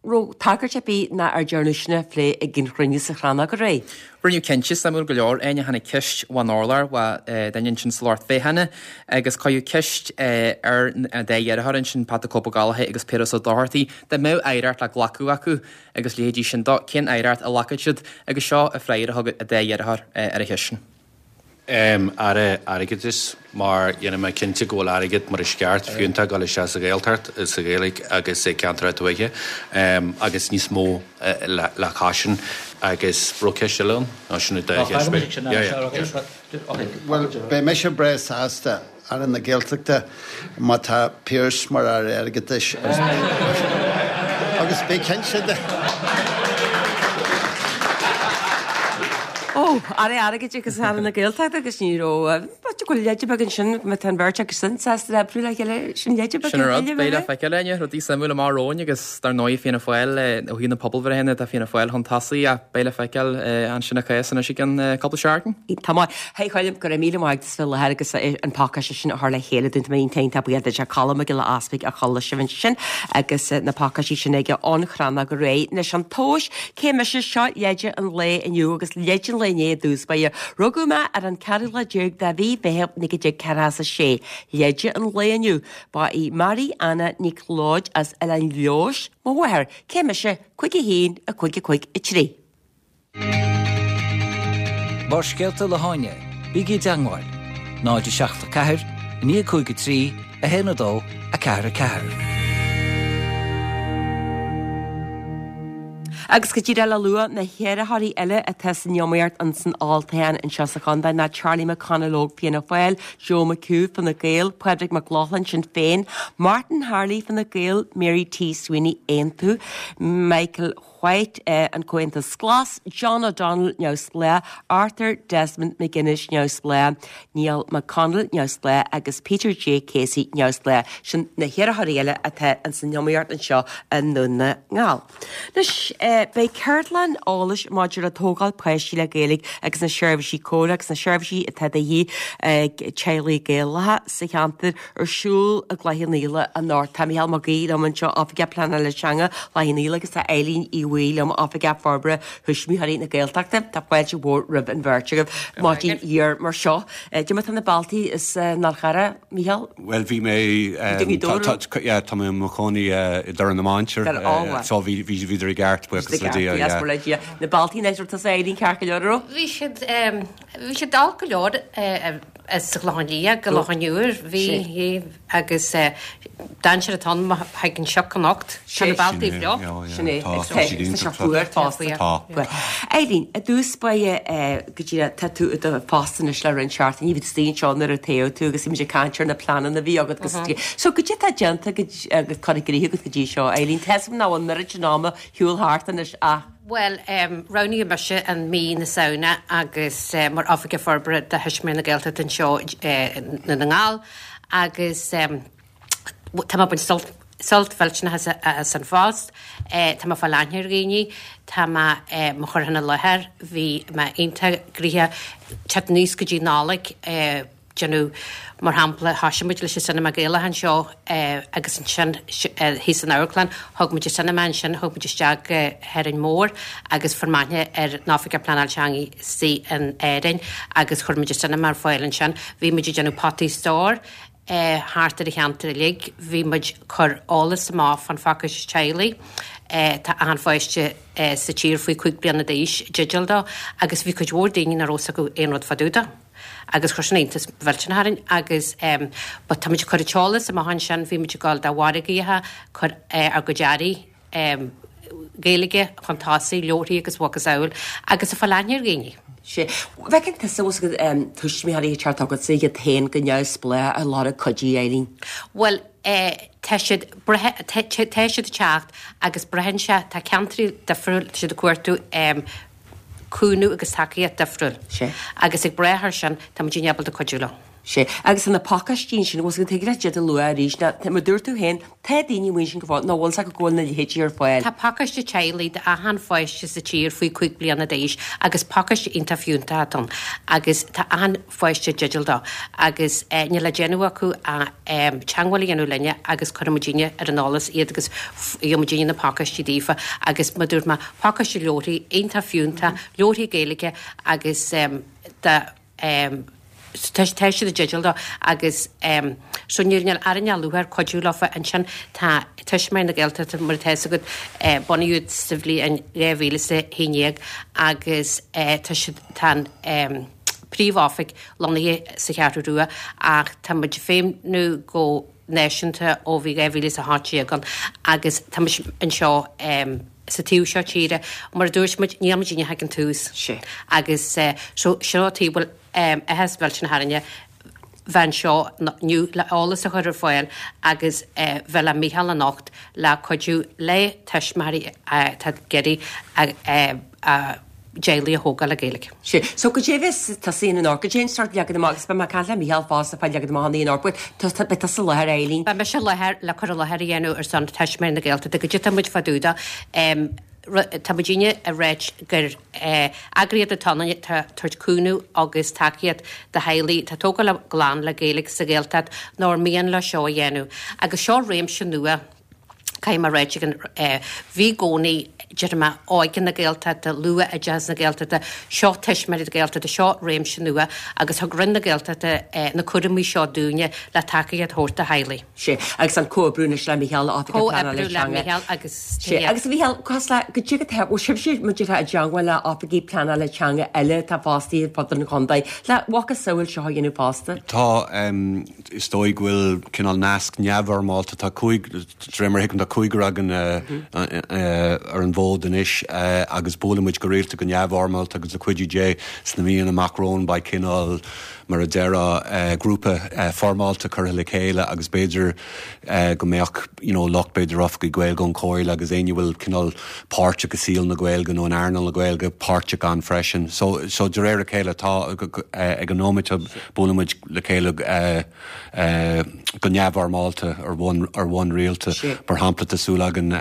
Raibh tagairt ar bith ná ar dearnadh sin a phlé ag an chruinniú sa Chrannóg aréir? Rinneadh cinnte, suimiúil go leor, Áine, tháinig ceist ón urlár ó dhuine ansin sa lucht féachana agus cuireadh ceist ar an dá dheartháir ansin, Pat the Cope Ó Gallchóir agus Piaras Ó Dochartaigh, dá mbeadh aireacht le glacadh acu agus leithéidí sin dó, cén aireacht a ghlacfadh siad? Agus seo an freagra a thug an dá dheartháir ar an cheist sin. Aire Airgeadais, mar dhéanfaidh mé cinnte go bhfuil airgead mar is ceart fiúntach ag dul isteach sa Ghaeltacht, sa Ghaeilge agus i gceantracha tuaithe agus níos mó le cois sin. Agus raibh ceist eile ann? Nó sin an dá cheist. Bhuel, beidh mise breá sásta Aire na Gaeltachta má tá Pearse mar Aire Airgeadais agus bí cinnte de. Ó, Aire Airgid agus Aire na Gaeltachta agus ní raibh, b'fhéidir go bhfuil leide beag ansin má tá an bheirt acu sin sásta oibriú le chéile, sin leide beag Sin an rud, beidh le feiceáil, Áine, rudaí suimiúla amach romhainn agus dar ndóigh Fianna Fáil, ó thaobh na pobalbhreitheanna tá Fianna Fáil chun tosaigh ach beidh le feiceáil ansin a chás anois i gceann cúpla seachtain. Tá maith. Hey Choilm, go raibh míle maith agat as bheith i láthair agus an pacáiste sin a chur le chéile dúinn. Tá mé iontach iontach buíoch duit. Colm Mac Giolla Easpaig a chuala sibh ansin agus na pacáistí sin aige ón Chrannóg aréir. Anois an tomhas, cé mise? Seo leide an lae inniu agus leide an lae inné i dtús báire. Rugadh mé ar an 14 lá de mhí Mheithimh 1946. Leide an lae inniu, ba í Mary Anna Nic Leoid as Oileán Leodhais mo mháthair. Cé mise? 5 1 5 5 3. Barrscéalta le hÁine, bígí i dteangmháil, 0 7 4 9 5 3 1 2 4 4. Agus go díreach le lua na hiarrthóirí eile atá san iomaíocht ins an olltoghchán anseo sa chontae ná Charlie McConalogue Fianna Fáil, Joe McHugh Fine Gael, Pádraig Mac Lochlainn Sinn Féin, Martin Harley Fine Gael, Mary T Sweeney Aontú, Michael White, an Comhaontas Glas, John O'Donnell, Neamhspleách, Arthur Desmond McGuinness, Neamhspleách, Niall McConnell, Neamhspleách, agus Peter J Casey, Neamhspleách. Sin na hiarrthóirí eile atá ins an iomaíocht anseo i nDún na nGall. Anois, beidh ceardlann eolais maidir le tógáil páistí le Gaeilge agus na seirbhísí comhairle agus na seirbhísí atá de dhíth ag teaghlaigh Gaelacha sa cheantar ar siúl i gCloich Cheann Fhaola anocht. Tá Micheál Mac Aoidh liom anseo, Oifigeach Pleanála Teanga Chloich Cheann Fhaola agus tá Eileen Uí Bhaoill liom, Oifigeach Forbartha Thuismitheoirí na Gaeltachta. Tá fáilte mhór roimh an bheirt agaibh. Maidin fhuar mar seo. Cad é mar tá na bealtaí as an Fhál Charrach, Micheál? Bhuel bhí mé, yeah, tá mé i mo chónaí i dToraigh na Mainistir so bhí, bhíodar i gceart, buíochas le Dia, yeah. Buíochas le Dia. Na bealtaí anois, raibh tusa Eileen ceart go leor, an raibh? Bhí siad, bhí siad dall go leor. As an gClochán Liath go Loch an Iúir bhí agus d'fhan siad ann má thagann an sioc anocht. Tá na bealtaí bhreá. Sin é. Tá siad iontach fuar fosta. Tá. Eileen, i dtús báire go díreach tá tú i do phost anois le roinnt seachtainí, bhí tú istigh anseo nuair a toghadh tú agus bhí muid ag caint ar na pleananna a bhí agat agus so goidé atá déanta agus curtha i gcrích agat go dtí seo, Eileen? Tá 'fhios agam nach bhfuil an oiread sin ama ar shiúl thart anois ach. Bhuel, roghnaíodh mise i mí na Samhna agus mar Oifigeach Forbartha do Thuismitheoirí na Gaeltachta anseo i nDún na nGall agus tá mé ag baint sult, sult mhillteanach as an phost. Tá mé ag fáil aithne ar dhaoine, tá mé mo chur ina láthair, bhí mé iontach gnoitheach teacht aníos go dtí Nollaig, déanamh. Mar shampla, thoisigh muid leis an Cinema Gaelach anseo agus ansin thíos san amharclann, thug muid an cinema ansin, thug muid isteach go hÁrainn Mhór agus fuair mé aithne ar an Oifigeach Pleanáil Teanga istigh in Árainn agus chuir muid an cinema ar fáil ansin. Bhí muid ag déanamh potaí stóir thart ar an cheantar uilig, bhí muid ag cur eolas amach fán phacáiste teaghlaigh. Tá achan pháiste sa tír faoi 5 bliana d'aois i dteideal dó agus bhí cuid mhór daoine nach raibh 'fhios acu aon rud fá dtaobh dó agus chuir sin iontas mhillteanach orainn agus but tá muid ag cur an t-eolas amach ansin, bhí muid ag dul do mhargaíocha, cur ár gcuid earraí Gaeilge chun tosaigh, leabharthaí agus a mhacasamhail agus ag fáil aithne ar dhaoine. Sea. Bhfeiceann tusa bhfuil 's agat tuismitheoirí ag teacht chugatsa iad féin go neamhspleách ag lorg cuidiú, Eileen? Bhuel, tá siad, tá siad ag teacht agus braitheann sé, tá ceantraí difriúil, tá siad ag cuartú cúnamh agus tacaíocht difriúil. Sea. Agus ag brath air sin, tá muidinne ábalta cuidiú leo. Sea. Agus na pacáistí ansin, bhfuil 's agat, thig leat iad a lua arís, ná, mar dúirt tú féin, tá daoine amuigh ansin go fóill nach bhfuil 's acu go bhfuil na leithéidí ar fáil. Tá pacáiste teaghlaigh d'achan pháiste sa tír faoi 5 bliana d'aois agus pacáiste iontach fiúntach atá ann agus tá achan pháiste i dteideal dó agus níl le déanamh acu ach teagmháil a dhéanamh linne agus cuirfidh muidinne ar an eolas iad agus gheobhaidh muidinne na pacáistí daofa agus mar dúirt mé, pacáiste leabharthaí iontach fiúntach, leabharthaí Gaeilge agus do tá siad i dteideal dó agus so níl níl orainn ach lúcháir cuidiú leofa ansin tá Tuismitheoirí na Gaeltachta mar atá 'fhios agat bunaíodh sa bhliain 2011 agus tá siad tá an príomh-oifig lonnaithe sa Cheathrú Rua ach tá muid ag feidhmniú go náisiúnta ó bhí 2018 ann agus tá muid anseo sa taobh seo tíre. Mar a dúirt muid, níl muidinne ach ag an tús. Agus so seo an tuige a bhfuil áthas mhillteanach orainne bheith anseo inniu le eolas a chur ar fáil agus bheith le Mícheál anocht le cuidiú le tuismitheoirí atá ag iarraidh a dteaghlaigh a thógáil le Gaeilge. Sea. So goidé a bheas tusa a dhéanamh anocht, goidé an sórt leagan amach, agus beidh mé ag caint le Mícheál fosta fán leagan amach an anocht, but tá, beidh tusa i láthair, Eileen. Beidh mise i láthair le cur i láthair a dhéanamh ar son Tuismitheoirí na Gaeltachta, goidé atá muid fá dtaobh de. Tá muidinne ag ráit gur eagraíocht atá ann atá ag tabhairt cúnamh agus tacaíocht do theaghlaigh atá ag tógáil a gclann le Gaeilge sa Ghaeltacht nó ar mian leo seo a dhéanamh. Agus seo réimse nua. Caithfidh mé a ráit ag an bhí i gcónaí, déarfaidh mé, Óige na Gaeltachta, Luath-Oideachas na Gaeltachta, seo Tuismitheoirí na Gaeltachta, seo réimse nua agus thug Roinn na Gaeltachta na cúraimí seo dúinne le tacaíocht a thabhairt do theaghlaigh. Sea, agus an comhoibriú anois le Mícheál, Oifigeach Pleanála Comhoibriú le Teanga. Mícheál agus Sea, agus a Mhícheál, cás le, goidé atá, bhfuil sibhse, mar a déarfá, i dteangmháil le oifigigh pleanála teanga eile atá fostaithe ar fud an chontae, le macasamhail seo a dhéanamh fosta? Tá, Is dóigh go bhfuil cineál nasc neamhfhoirmeálta, tá cúig, de réir mar a thuigim, tá cúigear againn ar an bhfód anois agus buaileann muid go rialta go neamhfhoirmeálta agus le cuidiú Dé sna míonna amach romhainn beidh cineál, mar a déarfá, grúpa foirmeálta curtha le chéile agus b'fhéidir go mbeadh you know lucht b'fhéidir oifigigh Gaeilge ón Chomhairle agus éinne a bhfuil cineál páirteach i saol na Gaeilge nó in earnáil na Gaeilge páirteach ann freisin. So, so de réir a chéile tá, ag an nóiméad seo buaileann muid le chéile go neamhfhoirmeálta ar bhonn ar bhonn rialta. Mar shampla, tá súil againn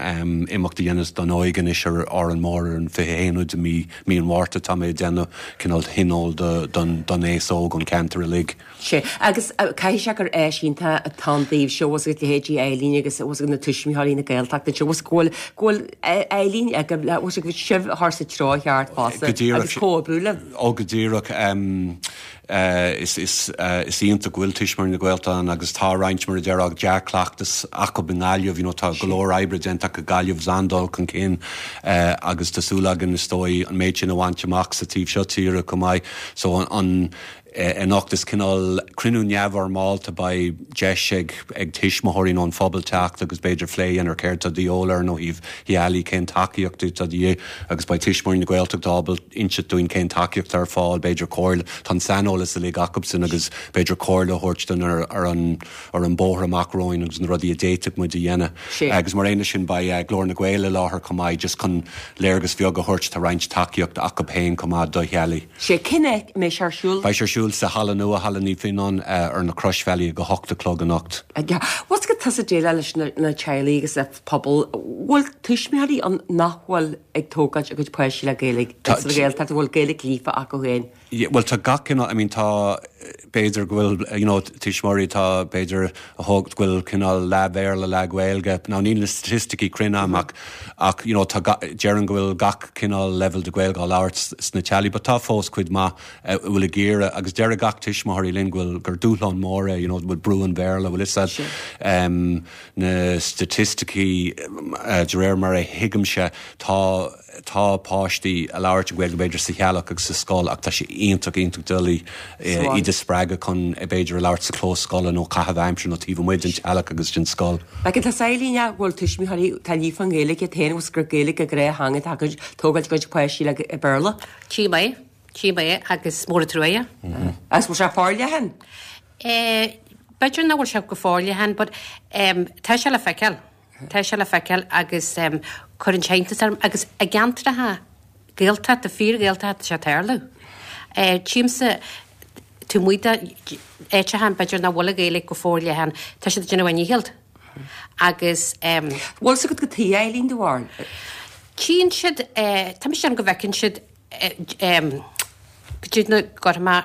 imeacht a dhéanamh don óige anois ar Árainn Mhór ar an 21ú de mí mí an Mhárta. Tá mé ag déanamh cineál thionól don don aos óg ón cheantar uilig. Sea, agus caithfidh sé gur áis iontach atá ann daoibhse, bhfuil 's agat leithéidí Eileen agus bhfuil 's agat na tuismitheoirí na Gaeltachta anseo, bhfuil 's agat go bhfuil go bhfuil Eileen agaibh le bhfuil 's agat sibh a chur sa treo cheart fosta agus comhoibriú libh. Ó go díreach. Is iontach go bhfuil Tuismitheoirí na Gaeltachta ann agus tá roinnt, mar a déarfá, dea-chleachtas acu i nGaillimh. You know, tá go leor oibre déanta acu i Gaillimh agus an-dul chun cinn agus tá súil againn, is dóigh, an méid sin a bhaint amach sa taobh seo tíre chomh maith. So an anocht is cineál cruinniú neamhfhoirmeálta, beidh deis ag ag tuismitheoirí nó an phobal teacht agus b'fhéidir plé a dhéanamh ar céard atá de dhíobháil orainn ó thaobh theaghlaigh, cén tacaíocht atá de dhíth agus beidh Tuismitheoirí na Gaeltachta ábalta inseacht dúinn cén tacaíocht atá ar fáil, b'fhéidir comhairle, tá an saineolas uilig acubsan agus b'fhéidir comhairle a thabhairt dúinn ar ar an ar an bóthar amach romhainn agus na rudaí a d'fhéadfadh muid a dhéanamh. Agus mar aon leis sin beidh Glór na nGael i láthair chomh maith just chun léargas bheag a thabhairt, tá roinnt tacaíocht acub féin chomh maith do theaghlaigh. Sea, cén áit a mbeidh sé ar siúl? Beidh sé ar siúl sa halla nua, Halla Naomh Fionán, ar na Croisbhealaí ag a hocht a chlog anocht. Bhfuil 's agat tusa ag déileáil leis na teaghlaigh agus le pobal, bhfuil tuismitheoirí ann nach bhfuil ag tógáilt a gcuid páistí le Gaeilge, sa Ghaeltacht, a bhfuil Gaeilge líofa acu féin? Bhuel tá gach cineál, I mean tá. B'fhéidir go bhfuil you know tuismitheoirí atá b'fhéidir a thóg go bhfuil cineál leath Bhéarla leath Gaeilge. Now níl na staitisticí cruinn agam ach ach you know tá déarfainn go bhfuil gach cineál level de Ghaeilge á labhairt sna teaghlaigh but tá fós cuid mhaith a bhfuil ag iarraidh agus deireadh gach tuismitheoirí linn go bhfuil gur dúshlán mór é you know bhfuil brú an Bhéarla bhfuil fhios a'd um, na staitisticí de réir mar a thuigimse tá Tá páistí a labhairt an Ghaeilge b'fhéidir sa theaghlach agus sa scoil ach tá sé iontach iontach doiligh iad a spreagadh chun b'fhéidir a labhairt sa chlós scoile nó caitheamh aimsire nó taobh amuigh den teaghlach agus den scoil. Ach tá saoilín go bhfuil tuismitheoirí atá líofa i nGaeilge iad féin agus gur Gaeilge a ngnáth-theanga atá acu ag tógáil a gcuid páistí le Béarla. Tchím é, tchím é agus mór an trua é. Agus bhfuil sé forleathan? B'fhéidir nach bhfuil sé go forleathan but tá sé le feiceáil. Tá sé le feiceáil agus cuireann sé iontas orm agus i gceantracha Gaeltachta, fíor-Ghaeltachta tá sé ag tarlú. Tchímse taobh amuigh d'áiteacha b'fhéidir nach bhfuil an Ghaeilge go forleathan, tá siad ag déanamh a ndícheall agus. Bhfuil fhios agat cad chuige, Eileen, do bharúil? Tchíonn siad, tá mise ag déanamh go bhfeiceann siad go dtí na gorma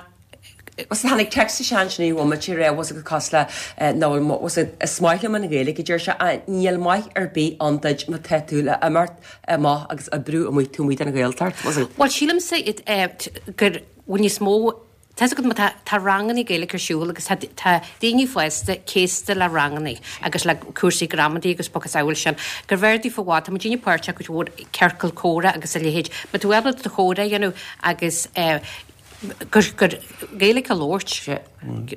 Bhuel tháinig text isteach ansin i bhomaite a raibh fhios agat cosúil le nó bhfuil is maith liom an Ghaeilge a deir sé ach níl maith ar bith ann duit má tá tú le imeacht amach agus oibriú amuigh taobh amuigh den Ghaeltacht. Bhuel sílimse gur bhfuil níos mó tá fhios agat má tá tá ranganna Gaeilge ar siúl agus tá tá daoine fásta céasta le ranganna agus le cúrsaí gramadaí agus macasamhail sin gurbh fhearr daofa i bhfad tá muid daoine páirteach cuid mhór ciorcal comhrá agus a leithéid má tá tú ábalta do chomhrá a dhéanamh agus gur Gaeilge a labhairt,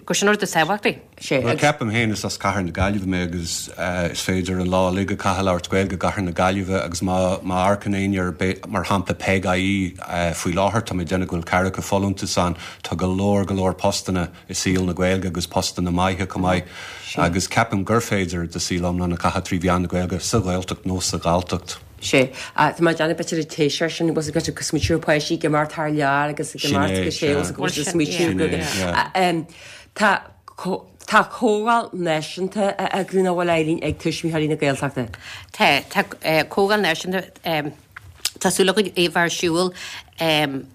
gur sin an rud is tábhachtaí. Bhuel, ceapaim féin, is as Cathair na Gaillimhe mé agus is féidir an lá uilig a chaitheamh ag labhairt Gaeilge i gCathair na Gaillimhe agus má amharcann éinne ar, mar shampla, Peig.ie faoi láthair, tá mé ag déanamh go bhfuil ceathracha folúntas ann, tá go leor, go leor postanna i saol na Gaeilge agus postanna maithe chomh maith agus ceapaim gur féidir do saol iomlán a chaitheamh trí mheán na Gaeilge sa Ghaeltacht nó sa Ghalltacht. Sea. Tá mé ag déanamh b'fhéidir an téis sin was ag go smaoitiú ar páistí ag imeacht thar lear agus ag imeacht go sé was go smaoitiú go Tá tá comhdháil náisiúnta á eagrú nach bhfuil Eileen ag Tuismitheoirí na Gaeltachta. Tá tá comhdháil náisiúnta tá súil againn é a bheith ar siúl in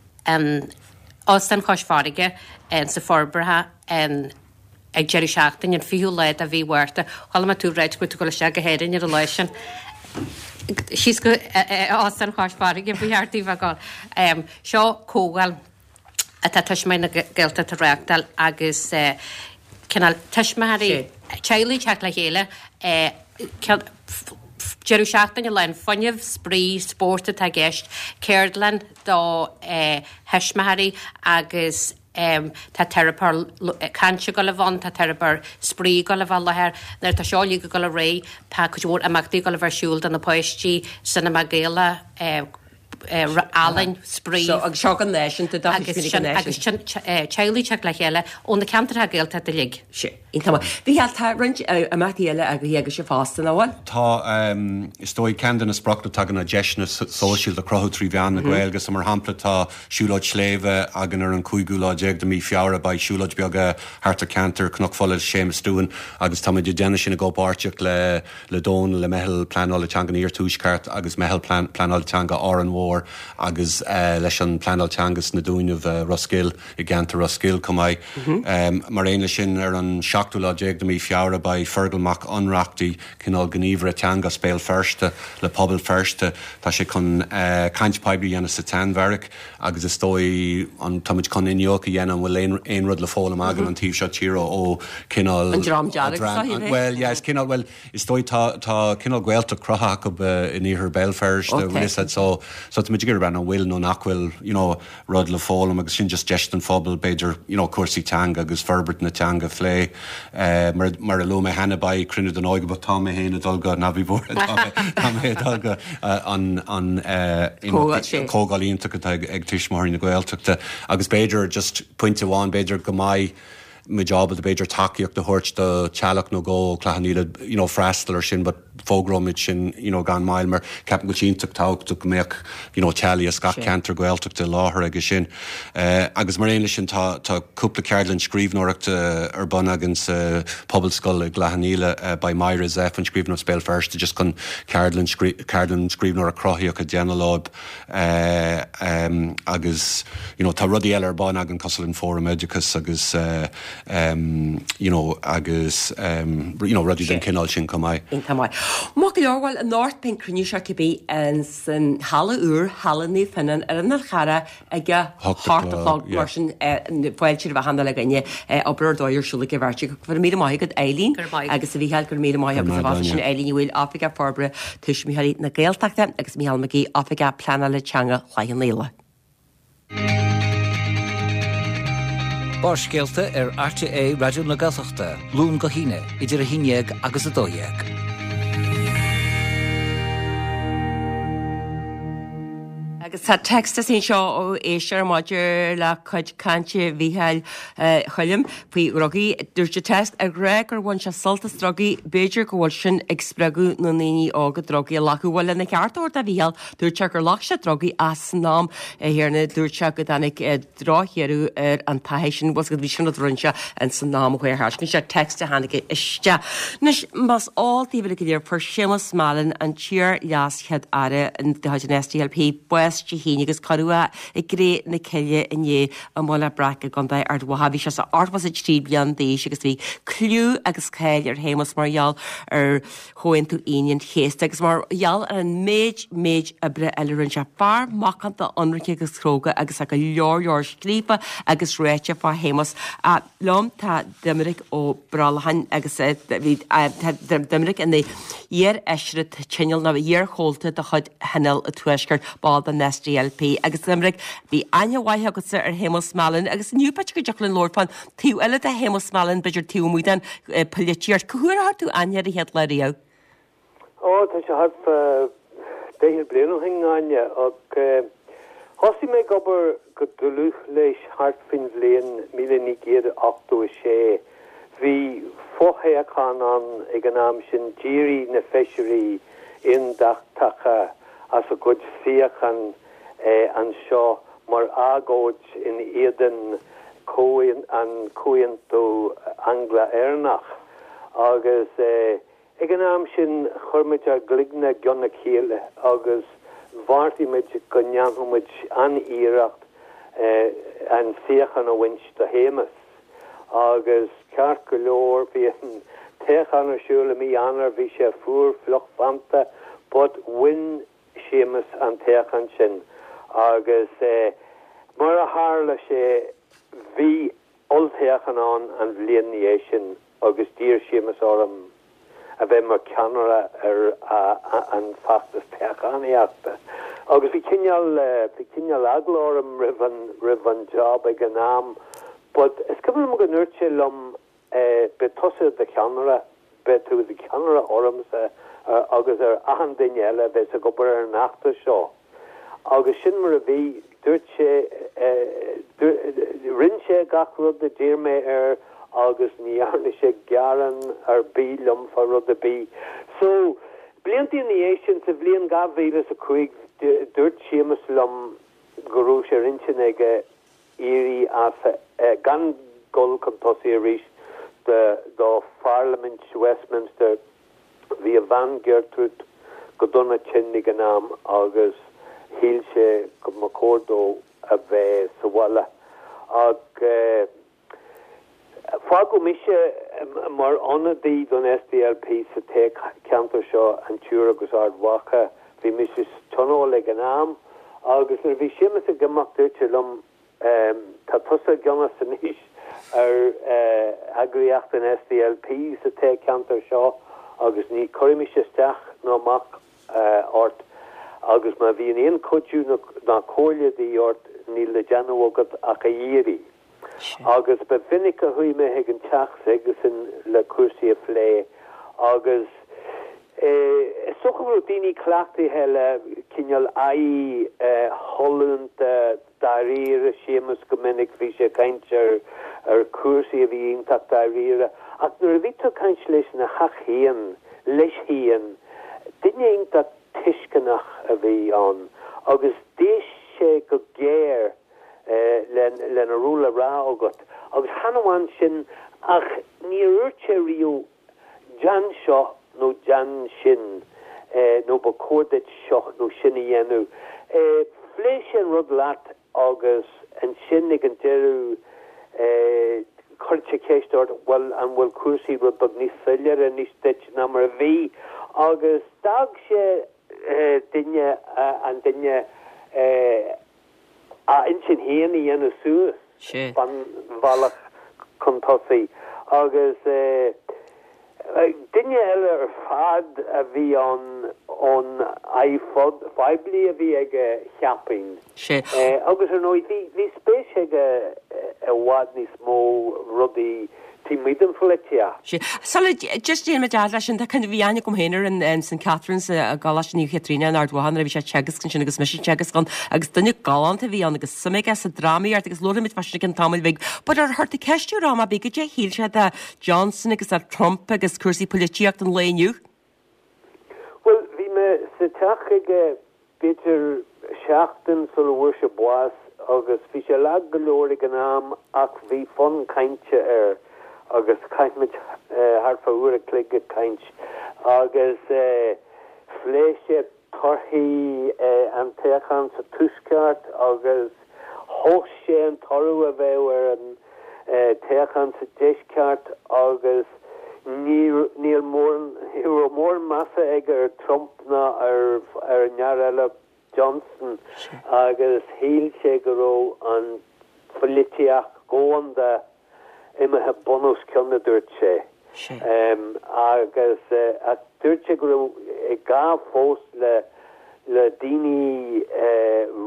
Óstán Chois Fharraige sa Forbartha in ag deireadh seachtaine, an 20ú lá de mhí Mhárta. Chuala mé tú ag ráit go bhfuil tú ag dul isteach go hÉirinn ar an lá sin. Síos go Óstán Chois Fharraige ba cheart daoibh a ghabháil. Seo comhdháil atá Tuismitheoirí na Gaeltachta a reáchtáil agus cineál tuismitheoirí, teaghlaigh ag teacht le chéile, deireadh seachtaine lán fuinnimh, spraoi, spórt atá i gceist, ceardlann do thuismitheoirí agus Tá teiripeoir cainte ag dul a bheith ann, tá teiripeoir spraoi ag dul a bheith i láthair. Nuair atá seo uilig ag dul ar aghaidh, tá cuid mhór imeachtaí ag dul a bheith ar siúl do na páistí, cinema Gaelach, ealaín, spraoi. So, agus seo go náisiúnta, do thuismitheoirí go náisiúnta. Agus sin teaghlaigh ag teacht le chéile ó na ceantracha Gaeltachta uilig. Sea, iontach maith. Mhícheál, tá roinnt imeachtaí eile eagraithe agaibhse fosta, nach bhfuil? Tá, is dóigh, ceann de na spriocanna atá againn ná deiseanna sóisialta a chruthú trí mheán na Gaeilge. So, mar shampla, tá Siúlóid Sléibhe againn ar an cúigiú lá déag de mí Feabhra. Beidh siúlóid beag thart ar ceantar Chnoc Fola le Séamus Doohan agus táimid ag déanamh sin i gcomhpháirtíocht le le Dónal, le Meitheal Pleanála Teanga an Iarthuaisceart agus Meitheal Pleanála Teanga Árainn Mhór agus leis an Pleanáil Teanga sna Dúnaibh, Ros Goill, i gceantar Ros Goill chomh maith. Mar aon leis sin ar an seachtú lá déag de mí Feabhra beidh Fergal Mac Ionnrachtaigh, cineál gníomhaire teanga as Béal Feirste le Pobal Feirste. Tá sé chun caint poiblí a dhéanamh sa tSeanbheairic agus is dóigh an táimid chun iniúchadh a dhéanamh an bhfuil aon aon rud le foghlaim againn an taobh seo tíre ó cineál An Dream Dearg is dóigh, an bhuel yeah is cineál bhuel is dóigh tá tá cineál Gaeltacht cruthaithe acu in iarthar Béal Feirste bhfuil fhios a'd so so táimid ag iarraidh breathnú an bhfuil nó nach bhfuil you know rud le foghlaim agus sin just deis don phobal b'fhéidir you know cúrsaí teanga agus forbairt na teanga a phlé. Mar mar a luaigh mé cheana beidh cruinniú den óige but tá mé féin ag dul go ná bí buartha tá mé tá mé ag dul go an an imeacht comhdháil iontach atá ag ag Tuismitheoirí na Gaeltachta agus b'fhéidir just pointe amháin b'fhéidir go mbeidh muid ábalta b'fhéidir tacaíocht a thabhairt do teaghlach nó dhó ó Chloich Cheann Fhaola you know freastal ar sin but fógróimid sin you know gan mhoill mar ceapaim go bhfuil sé iontach tábhachtach go mbeadh you know teaghlaigh as gach ceantar Gaeltachta i láthair aige sin. Agus mar aon leis sin tá tá cúpla ceardlann scríbhneoireachta ar bun againn sa Phobalscoil i gCloich Cheann Fhaola. Beidh Máire Zepf, an scríbhneoir as Béal Feirste just chun ceardlann ceardlann scríbhneoireacht chruthaíoch a dhéanamh leo agus you know tá rudaí eile ar bun againn cosúil an Fóram Oideachais agus. you know agus you know rudaí den chineál sin chomh maith. Iontach maith. Maith go leor, bhuel anocht beidh an cruinniú seo cibé in san halla úr, Halla Naomh Fionnán ar an Fhál Charrach ag a hocht a chlog mar sin fáilte roimh achan uile dhuine obair ar dóigh ar siúl ag an bheirt acu. Go raibh míle maith agat Eileen agus a Mhícheáil, go raibh míle maith agat a sin Eileen Ní Bhaoill, Oifigeach Forbartha Tuismitheoirí na Gaeltachta agus Mícheál Mac Aoidh, Oifigeach Pleanála Teanga Chloich Cheann Fhaola. Barrscéalta ar RTÉ Raidió na Gaeltachta, Luan go hAoine, idir 11 agus 12. Agus tá text anseo ó éisteoir maidir le cuid cainte Mhícheáil Choilm faoi dhrugaí. Dúirt an text ag rá gur bhain sé sult as drugaí, b'fhéidir go bhfuil sin ag spreagadh na ndaoine óga drugaí a ghlacadh. Bhuel, lena cheart a thabhairt do Mhícheál, dúirt sé gur ghlac sé drugaí ach san am chéanna dúirt sé go dtáinig drochdheireadh ar an taithí sin, bhuel bhí sin rud a rinne sé ins an am a chuaigh thart. Sin é text a tháinig isteach. Anois, más eol daoibh uilig go léir, fuair Séamus Mallon, an t-iar-leas-Chéad Aire de chuid an SDLP, bás Dé hAoine agus cuireadh é i gcré na cille inné i mBaile Breac i gContae Ard Mhacha. Bhí sé 83 bliain d'aois agus bhí cliú agus cáil ar Shéamus mar gheall ar Chomhaontú Aoine an Chéasta agus mar gheall ar an méid, méid oibre eile a rinne sé. Fear macánta, ionraice agus cróga agus tá go leor, leor scríofa agus ráite fá Shéamus. Liom tá Doiminic Ó Brollacháin agus bhí, tá Doiminic ina iar-fheisire tionóil nó iar-chomhalta de chuid Thionól an Tuaiscirt, ball den SDLP. Agus Doiminic, bhí aithne mhaith agatsa ar Shéamus Mallon agus inniu b'fhéidir go dtiocfadh linn labhairt fán Taobh eile de Shéamus Mallon, b'fhéidir taobh amuigh den pholaitíocht. Cá huair a chuir tú aithne air an chéad lá riamh? Ó, tá sé thart fá daichead bliain ó shin, Áine, ach thosaigh mé ag obair go dlúth leis thart faoin bhliain 1986. Bhí fothoghchán ann ag an am sin, d'éirigh na feisirí aontachtacha as a gcuid suíochán anseo mar agóid in éadan an Comhaontú Angla-Éireannach agus ag an am sin chuir muid ár gcloigne i gcionn a chéile agus bheartaigh muid go ndéanfadh muid an-iarracht an suíochán a bhaint do Shéamus. Agus ceart go leor bhí an toghchán ar siúl i mí Eanáir, bhí sé fuar fliuch feannta but bhain Séamus an toghchán sin agus mar a tharla sé bhí olltoghchán ann an bhliain 'na dhiaidh sin agus d'iarr Séamus orm a bheith mar cheannaire ar an bhfeachtas toghchánaíochta agus bhí cineál bhí cineál eagla orm roimh an roimh an job ag an am but is cuimhin liom go ndúirt sé liom Beidh tusa i do cheannaire, beidh tú i do cheannaire ormsa agus ar achan duine eile a bheas ag obair ar an fheachtas seo. Agus sin mar a bhí. Dúirt sé, rinne sé gach rud a d'iarr mé air agus ní dhearna sé gearán ar bith liom fá rud ar bith. So, blianta ina dhiaidh sin, sa bhliain 2005, dúirt Séamus liom go raibh sé ar intinn aige éirí as, gan dul chun tosaigh arís do Pharlaimint Westminster. Bhí a bhean Gertrude go dona tinn ag an am agus shíl sé go mba chóir dó a bheith sa bhaile. Ach fágadh mise mar ionadaí don SDLP sa toghcheantar seo, an tIúr agus Ard Mhacha. Bhí mise sa Tionól ag an am agus nuair a bhí Séamus ag imeacht dúirt sé liom Tá tusa i gceannas anois ar eagraíocht an SDLP sa toghcheantar seo agus ní chuirfidh mise isteach ná amach ort agus má bhíonn aon chuidiú ná comhairle de dhíth ort níl le déanamh agat ach a iarraidh. Agus ba mhinic a chuaigh mé chuig an teach s'aigesean le cúrsaí a phlé agus is dócha go raibh daoine cleachtaithe le cineál aghaidh shollúnta dáiríre Séamus go minic, bhí sé ag caint ar ar chúrsaí a bhí iontach dáiríre ach nuair a bhí tú ag caint leis ina theach féin, leis féin, duine iontach tuisceanach a bhí ann agus d'éist sé go géar lena raibh le rá agat agus chan amháin sin ach níor dhúirt sé riamh déan seo nó déan sin nó ba chóir duit seo nó sin a dhéanamh. Phléigh sé an rud leat agus ansin ag an deireadh. Chuir sé ceist ort, bhuel, an bhfuil cúrsaí rud beag níos soiléire anois duit ná mar a bhí? Agus d'fhág sé duine, an duine, a intinn féin a dhéanamh suas fán bhealach chun tosaigh. Agus duine eile ar fad a bhí ann ón aghaidh phoiblí a bhí aige, cheapfainn. Agus ar ndóigh, bhí spéis aige i bhfad níos mó rudaí taobh amuigh den pholaitíocht. Sea. Sula just déanfaidh muid leis sin, tá kind of bhí aithne agam féin air in St Catherine's i gColáiste Naomh Chaitríona in Ard Mhacha nuair a bhí sé ag teagasc ansin agus mise ag teagasc ann agus duine galánta a bhí ann agus suim aige sa drámaíocht agus labharfaidh muid fá sin i gcionn tamaill bhig. But ar short ceistiú ar am ar bith goidé a shíl sé de Johnson agus de Trump agus cúrsaí poilitíocht an lae inniu. Bhuel, bhí mé sa teach aige b'fhéidir seachtain sula bhfuair sé bás agus bhí sé lag go leor ag an am ach bhí fonn cainte air agus chaith muid thart fá uair a chloig ag caint agus phléigh sé torthaí an toghcháin sa Tuaisceart agus thomhais sé an toradh a bheadh ar an toghchán sa Deisceart agus níl ní raibh mórán measa aige ar Trump ná ar ar an fhear eile Johnson agus shíl sé go raibh an pholaitíocht dhomhanda imithe bun os cionn a dúirt sé. Agus ach dúirt sé go raibh gá fós le le daoine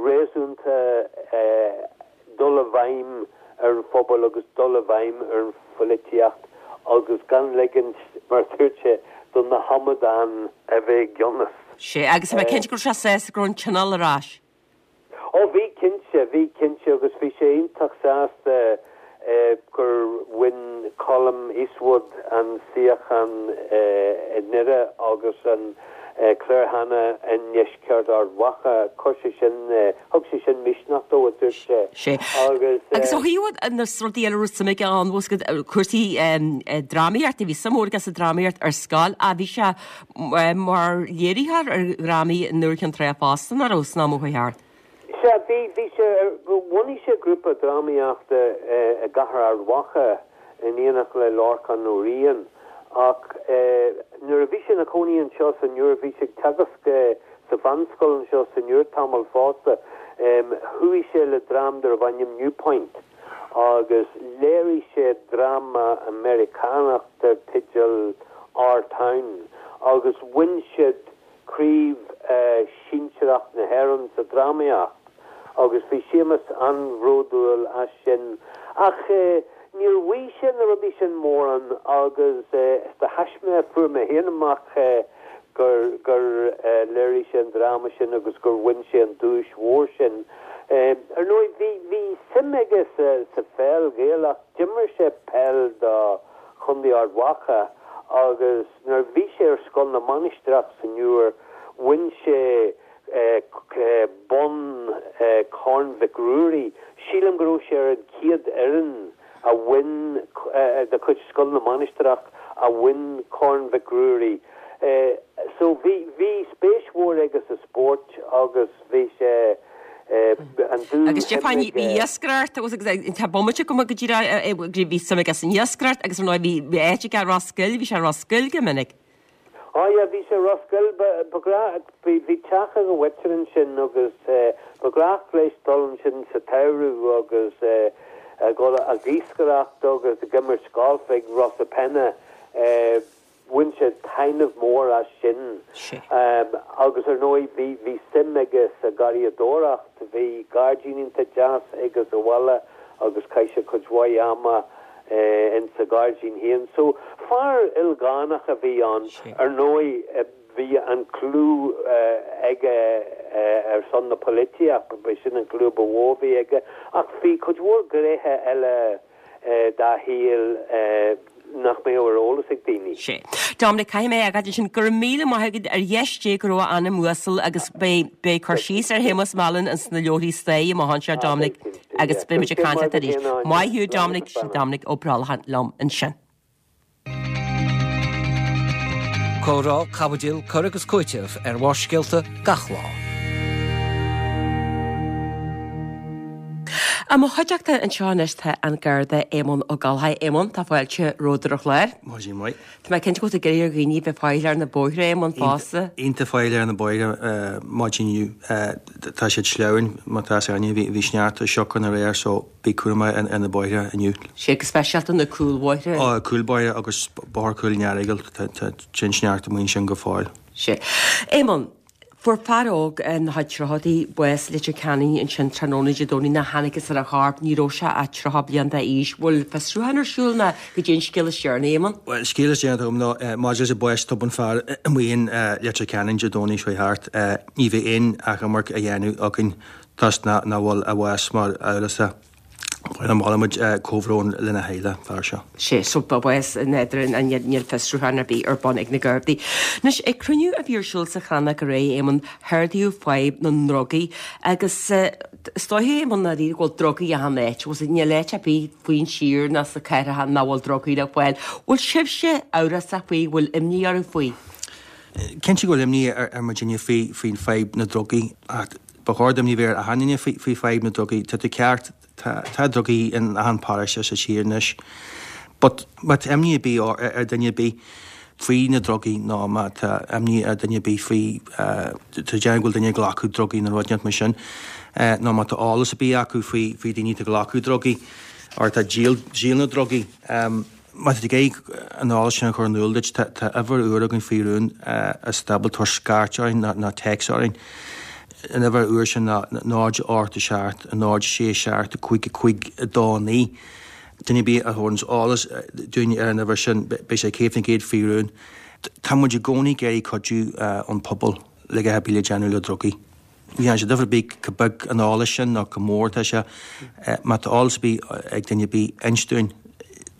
réasúnta dul i bhfeidhm ar an phobal agus dul i bhfeidhm ar an pholaitíocht agus gan ligint, mar a dúirt sé, do na hamadáin a bheith i gceannas. Sea, agus tá mé cinnte go raibh sé sásta go raibh an Tionól ar ais. Ó bhí cinnte, bhí cinnte agus bhí sé iontach sásta gur bhain Colum Eastwood an suíochán i nDoire agus an Claire Hanna i ndeisceart Ard Mhacha. Chuir sé sin, thug sé sin misneach dó, a dúirt sé. Sea. Agus. Agus ó thaobh na rudaí eile a raibh suim aige ann, bhfuil a fhios agat, cúrsaí drámaíochta, bhí suim mhór aige sa drámaíocht ar scoil, ach bhí sé mar léiritheoir ar dhrámaí i nDobhar Chinn Trá fosta, nach raibh, san am a chuaigh thart? Sea, bhí, bhí sé, bhunaigh sé grúpa drámaíochta i gcathair Ard Mhacha in éineacht le Lorcán Ó Riain ach nuair a bhí sé ina chónaí anseo san Iúr, bhí sé ag teagasc sa mheánscoil anseo san Iúr tamall fosta, chuaigh sé le dream darbh ainm Newpoint agus léirigh sé dráma Meiriceánach dar teideal Our Town agus bhain siad Craobh Shinsearach na hÉireann sa drámaíocht agus bhí Séamus an-bhródúil as sin. Ach níor mhaígh sé na rudaí sin mórán agus is de thaisme a fuair mé féin amach gur gur léirigh sé an dráma sin agus gur bhain sé an duais mhór sin. Ar ndóigh bhí bhí suim aige sa sa pheil Ghaelach, d'imir sé peil do Chontae Ard Mhacha agus Nuair a bhí sé ar Scoil na Mainistreach san Iúr bhain sé bonn Corn Mhic Ruairí. Sílim go raibh sé ar an chéad fhoireann a bhain de chuid Scoil na Mainistreach a bhain Corn Mhic Ruairí. So bhí bhí spéis mhór aige sa spórt agus bhí sé an dúshuim Agus Stiofán, bhí iascaireacht agus tá bomaite agam go díreach bhí suim aige san iascaireacht agus ar ndóigh bhí bhí áit aige i Ros Goill, bhí sé i Ros Goill go minic. Á yeah, bhí sé i Ros Goill, ba ba ghnách, bhí bhí teach ag a mhuintir ansin agus ba ghnách leis dul ansin sa tsamhradh agus a dhul ag iascaireacht agus ag imirt golf ag Rosapenna. Bhain sé taitneamh mór as sin agus ar ndóigh bhí bhí suim aige sa gharraíodóireacht. Bhí gairdín iontach deas aige sa bhaile agus chaith sé cuid mhaith ama in sa ghairdín féin. So fear ildánach a bhí ann. Ar ndóigh bhí an clú aige ar son na polaitíocht, b'shin an clú ba mhó a bhí aige ach bhí cuid mhór gnéithe eile dá shaol nach mbeadh ar eolas ag daoine. Sea. Dominic, caithfidh mé a fhágáil ansin. Go raibh míle maith agat ar dheis Dé go raibh a anam uasal agus beidh beidh cur síos ar Shéamus Mallon ins na leabharthaí staire amach anseo, Dominic, agus beidh muid ag caint leat arís. Maith thú, Dominic, sin Dominic Ó Brollacháin liom ansin. Comhrá, caibidil, cur agus cúiteamh ar Bharrscéalta gach lá. I mo chuideachta anseo anois tá an Garda Éamonn Ó Gallchóir. Éamonn, tá fáilte romhat ar an chlár. Maidin mhaith. Tá mé cinnte go bhfuil tú ag iarraidh ar dhaoine bheith faichilleach ar na bóithre, Éamonn, fosta. Iontach faichilleach ar na bóithre maidin inniu. Tá siad sleamhain, má tá fhios againne, bhí sneachta sioc ann aréir so bí cúramach ar na bóithre inniu. Sea, go speisialta na cúlbhóithre. Ó, cúlbóithre agus Bóthar Chúil an Earagail, tá an sneachta amuigh ansin go fóill. Sea. Éamonn, Fuair fear óg ina chuid tríochaidí bás i Leitir Ceanainn ansin tráthnóna Dé Domhnaigh nár thángthas ar a chorp. Ní raibh sé ach 30 bliain d'aois. Bhfuil fiosrúchán ar siúl nó goidé an scéal is deireanaí, Éamonn? Bhuel, scéal is deireanaí atá agam ná maidir leis an bás tobann fear amuigh in Leitir Ceanainn Dé Domhnaigh seo thart, ní bheidh aon achomharc á dhéanamh againn toisc nach bhfuil a bhás mar amhrasach. Molaimid comhbhrón lena theaghlach, fear seo. Sea, so bás nádúrtha níl fiosrúchán ar bith ar bun ag na Gardaí. Anois, ag cruinniú a bhí ar siúl sa Chrannóg aréir, Éamonn, hardaíodh fadhb na ndrugaí agus is dóiche, Éamonn, ndáiríre go bhfuil drugaí achan áit. Bhfuil níl áit ar bith faoin tír ná sna cathracha nach bhfuil drugaí le fáil. Bhfuil sibhse amhrasach faoi, bhfuil imní oraibh faoi? Cinnte go bhfuil imní ar muidinne faoi faoin fadhb na ndrugaí ach Ba chóir d'imní bheith ar achan duine faoi fadhb na drugaí. Tá tú ceart, tá tá drugaí in achan paróiste sa tír anois. But má tá imní ar bith ar duine ar bith faoi na drugaí nó má tá imní ar duine ar bith faoi tá déanamh go bhfuil duine ag glacadh drugaí nó rud inteacht mar sin nó má tá eolas ar bith acu faoi faoi daoine atá ag glacadh drugaí or atá ag díol díol na drugaí, Má tá tú ag iarraidh an eolas sin a chur in iúl duit, tá uimhir úr againn faoi rún is tá ábalta tabhairt scairt orainn nó téacs orainn. An uimhir úr sin ná 0 8 7 0 6 7 5 5 2 9. Duine ar bith a thabharanns eolas dúinn ar an uimhir sin, beidh sé 100% faoi rún. Tá muid i gcónaí ag iarraidh cuidiú ón pobal le a dhath ar bith le déanamh le drugaí. Ní dhéanann sé difear ar bith chomh beag an eolas sin nó chomh mór atá sé. Má tá eolas ar bith ag duine ar bith, inis dúinn.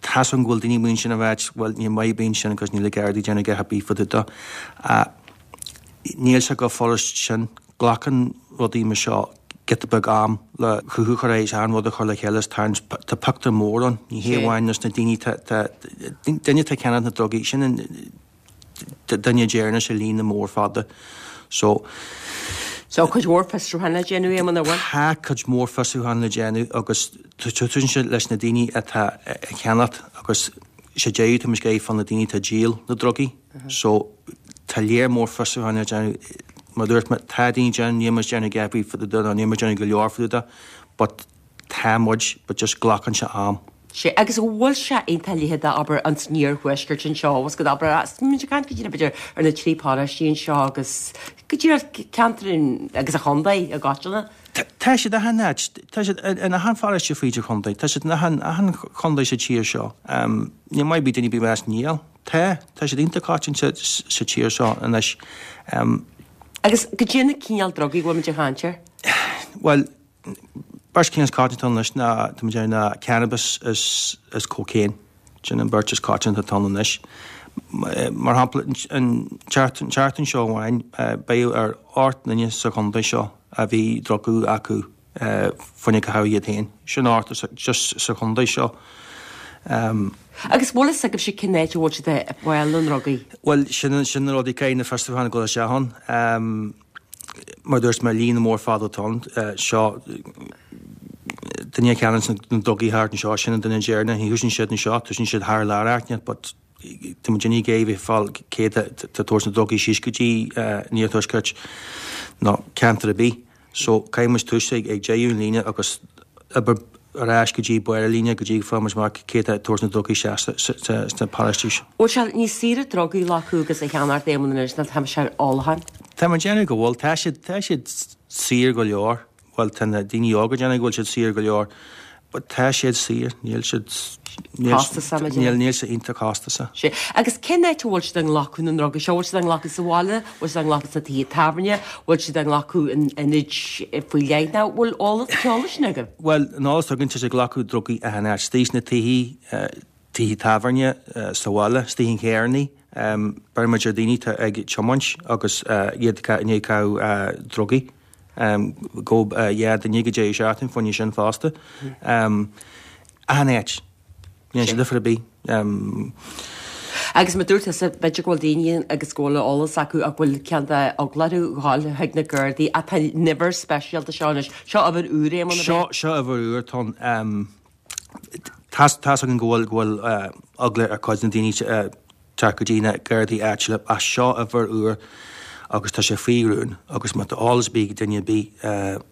Tá's agam go bhfuil daoine amuigh ansin ag ráit, bhuel, níl maith ar bith ansin agus níl na Gardaí ag déanamh a dhath ar bith fá dtaobh de. Níl sé chomh furast sin. Glacann rudaí mar seo giota beag am le cruthú a chur air, is achan rud a chur le chéile is tarraingt. Tá pictiúr mór ann. Ní hé amháin na daoine, tá duine atá ag ceannach na drugaí, sin an, duine deireanach sa líne mór fada. So. So cuid mhór fiosrúchán le déanamh, Éamonn, an bhfuil? Tá cuid mhór fiosrúchán le déanamh agus túsann sé leis na daoine atá ag ceannacht agus sa deireadh tá muid ag iarraidh fáil na daoine atá ag díol na drugaí. So tá léar mór fiosrúchán le déanamh. Mar a dúirt mé, tá daoine ag déanamh, níl muid ag déanamh a dhath ar bith fá dtaobh de nó níl muid ag déanamh go leor fá dtaobh de but Tá muid, but just glacann sé am. Sea, agus an bhfuil sé iontach leitheadach, abair, an san iarthuaisceart anseo, agus go abair, is muid ag caint go díreach, b'fhéidir, ar na trí paróistí anseo agus go díreach ceantar an, agus an chontae i gcoitinne. Tá siad achan áit, tá siad in achan pharóiste fríd an chontae, tá siad in achan, achan chontae sa tír seo. Níl maith ar bith duine ar bith a rá níl. Tá, tá siad iontach coitianta sa tír seo anois. Agus goidé na cineál drugaí a bhfuil muid ag caint air? Bhuel, Beirt cinn is coitianta anois ná, tá muid ag déanamh ná cannabis is is cocaine. Sin an beirt is coitianta atá ann anois. Mar shampla, an tseachtain seo amháin, beireadh ar 8 nduine sa chontae seo a bhí drugaí acu fá choinne caitheamh iad féin. Sin 8 just sa chontae seo. Agus bhfuil fhios agaibhse cén áit a bhfuil siad ag fáil na ndrugaí? Bhuel, sin sin na rudaí caithfidh na fiosrúcháin a dhul isteach ann. Mar a dúirt mé, líne mór fada atá ann. Seo duine a cheannaíonn na drugaí thart anseo, sin an duine deireanach. Ní thosaíonn siad anseo, tosaíonn siad thar lear áit inteacht, but tá muid ag iarraidh fáil cé tá ag tabhairt na drugaí síos go dtí an iarthuaisceart nó ceantar ar bith. So caithfidh muid tús ag deireadh an líne agus obair ar ais go dtí barr an líne go dtí go bhfaighidh muid amach cé tá ag tabhairt na drugaí isteach sna paróistí seo. Bhfuil sé níos saoire drugaí a ghlacadh agus a cheannacht Éamonn anois ná tá sé ar ólachán? Tá mé ag déanamh go bhfuil. Tá siad, tá siad saor go leor. Bhuel, tá na daoine óga ag déanamh go bhfuil siad saor go leor. But tá siad saor, níl siad, níl, Costasach, mar níl, níl sé iontach costasach. Sea. Agus cén áit a bhfuil siad ag glacadh na ndrugaí seo? Bhfuil siad á nglacadh sa bhaile? Bhfuil siad á nglacadh sna tithe tábhairne? Bhfuil siad á nglacadh in ionaid faoi leith? Nó bhfuil eolas, eolas sin agaibh? Bhuel, an eolas atá againn, tá siad ag glacadh drugaí achan áit. Istigh sna tithe, tithe tábhairne, sa bhaile, istigh in charrannaí. Beireann muid ar daoine atá ag tiomáint agus iad i ndiaidh caitheamh drugaí. Gabhadh 2 duine ag an deireadh seachtaine fá choinne sin fosta. Achan áit. Níl sé difear ar bith. Agus mar dúirt tusa, b'fhéidir go bhfuil daoine agus go bhfuil eolas acu ach go bhfuil cineál de eagla orthu dhul chuig na Gardaí ach tá an uimhir speisialta seo anois. Seo uimhir úr, Éamonn, ab ea? Seo, seo uimhir úr atá ann. Tá's, tá's againn go bhfuil, go bhfuil eagla ar chuid de na daoine teacht go dtí na Gardaí áitiúla ach seo uimhir úr agus tá sé faoi rún agus má tá eolas ar bith ag duine ar bith,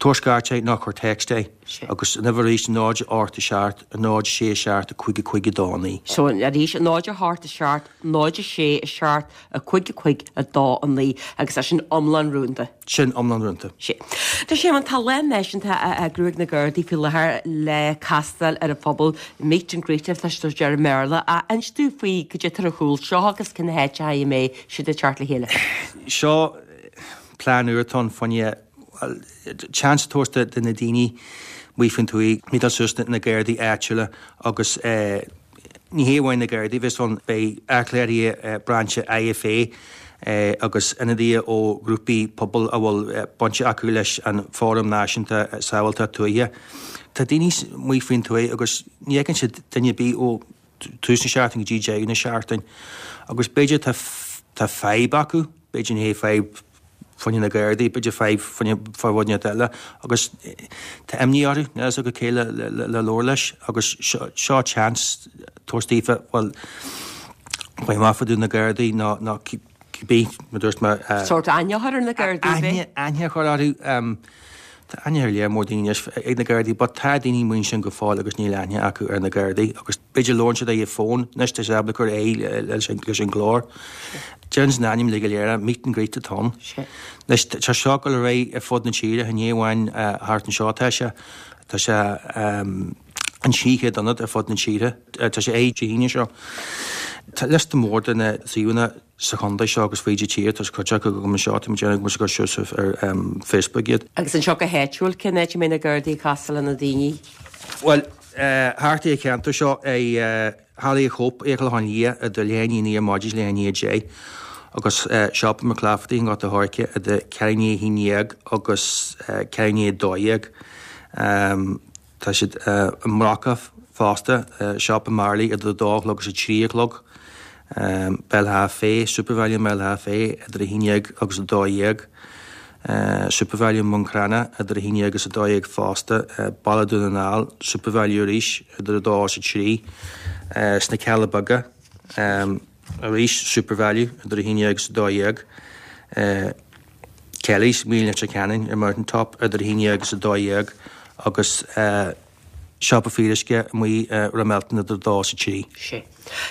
Tabhair scairt é nó cuir text é agus an uimhir arís 0 8 7 0 6 7 5 5 2 9. So arís 0 8 7 0 6 7 5 5 2 9 agus é sin iomlán rúnda. Sin iomlán rúnda. Sea. Tá sé, tá lá náisiúnta á eagrú ag na Gardaí faoi láthair le castáil ar an phobal, meet and greet atá sé deir i mBéarla. Ach inis dúinn faoi cad é atá ar chúl seo agus cén háit a mbeidh siad ag teacht le chéile. Seo plean úr atá ann fá choinne seans a thabhairt do na daoine amuigh faoin tuath meetáil suas na Gardaí áitiúla agus ní hé amháin na Gardaí a bheas ann, beidh athchléirigh brainse IFA agus ionadaithe ó ghrúpaí pobail a bhfuil baint acu leis an Fóram Náisiúnta Sábháilteacht Tuaithe. Tá daoine amuigh faoin tuath agus ní fheiceann siad duine ar bith ó tús na seachtaine go dtí deireadh na seachtaine agus b'fhéidir tá fadhb acu, b'fhéidir ní hé fadhb fá choinne na Gardaí, b'fhéidir fadhb fá choinne rud inteacht eile agus tá imní orthu, níl a fhios acu cé le labhairt leis agus seo chance tabhairt daofa, bhuel, faigh amach fá dtaobh na Gardaí nó nó cibé, mar dúirt mé. Sórt aithne a chur ar na Gardaí, ab é? Aithne a chur orthu. Tá aithne ar lear mór daoine anois ag na Gardaí but tá daoine amuigh ansin go fóill agus níl aithne acu ar na Gardaí agus b'fhéidir labhrann siad ar an bhfón anois tá siad ábalta cur aghaidh leis an leis an gclár. Deireann an ainm le go léir é, meet and greet atá ann. Anois tá seo ag dul ar aghaidh ar fud na tíre, ní amháin thart anseo atá sé, tá sé in 300 ionad ar fud na tíre. Tá sé ag Dé hAoine seo. Tá liosta mór de na suíomhanna sa chontae seo agus fríd an tír, tá cuid acu agam anseo, tá mé ag déanamh go mbeidh siad suas ar Facebook iad. Agus anseo go háitiúil, cén áit a mbeidh na Gardaí ag castáil le na daoine? Bhuel, thart ar an cheantar seo, i Halla Chope i gClochán Liath idir leath i ndiaidh a naoi ar maidin is leath i ndiaidh a deich, agus Siopa McClafferty i nGort a' Choirce idir ceathrú i ndiaidh a haon dhéag agus ceathrú i ndiaidh a dó dhéag. Tá siad i mBrocach fosta, Siopa Marley idir a dó a chlog agus a trí a chlog, Béal Átha Féith, Supervalu i mBéal Átha Féith idir a haon dhéag agus a dó dhéag, Supervalu i mBun Cranncha idir a haon dhéag agus a dó dhéag fosta, Baile Dhún na nGall, Supervalu arís idir a dó agus a trí, sna Cealla Beaga arís, Supervalu idir a haon dhéag agus a dó dhéag. Kelly's, amuigh i Leitir Ceanainn ar Mountain Top idir 11 agus 12 agus Siopa Fíoruisce amuigh i Ramelton idir 2 agus 3. Sé.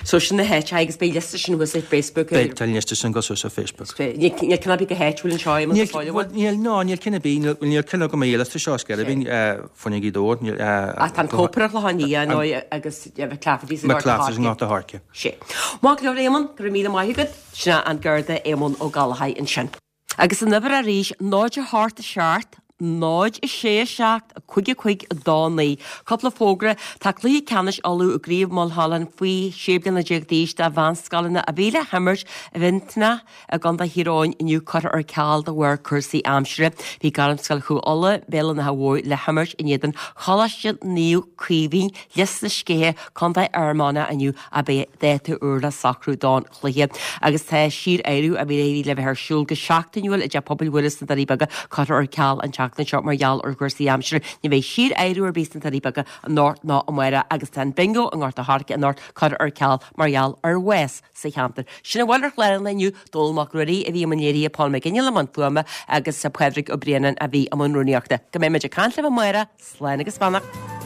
So sin na háiteacha agus beidh liosta sin thuas ar Facebook. Beidh, tá an liosta sin ag dul suas ar Facebook. Níl ceann ar bith go háitiúil anseo i Níl, bhuel, níl, no, níl ceann ar bith, níl, níl ceann agam ar an liosta seo, is gearr fá choinne Ghaoth Dobhair, níl, Ach tá an Cope ar Chlochán Liath, nó agus McClafferty's i McClafferty's i nGort a' Choirce. Sé. Maith go leor Éamonn, go raibh míle maith agat. Sin é an Garda Éamonn Ó Gallchóir ansin. Agus an uimhir arís, 0 8 7 0 6 7 5 5 2 9. Cúpla fógra, Tá cluiche ceannais Uladh i gCraobh Mulholland faoi 16 bliana d'aois do mheánscoileanna a bhí le himirt i bhFionnatach i gContae Thír Eoghain inniu curtha ar ceal de bharr cúrsaí aimsire. Bhí Gairmscoil Chú Uladh, Béal an Átha Mhóir le himirt in éadan Choláiste Naomh Caoimhín, Lios na Scéithe, Contae Fhear Manach inniu ach beidh dáta úr le socrú don chluiche agus tá síor-adhradh a bhí le bheith ar siúl go seachtainiúil i dTeach Pobail Mhuire sna Doirí Beaga curtha ar ceal an tseachtain seo mar gheall ar chúrsaí aimsire. Ní bheidh síor-adhradh ar bith sna Doirí Beaga anocht ná amárach agus tá an bingo i nGort a' Choirce anocht curtha ar ceal mar gheall ar bhás sa cheantar. Sin a bhfuil ar chlár an lae inniu, Dónall Mac Ruairí a bhí i mbun léirithe, Paul McGinley i mbun fuaime agus Pádraig Ó Braonáin a bhí i mbun rúnaíochta. Go mbeidh muid ag caint libh amárach, slán agus beannacht.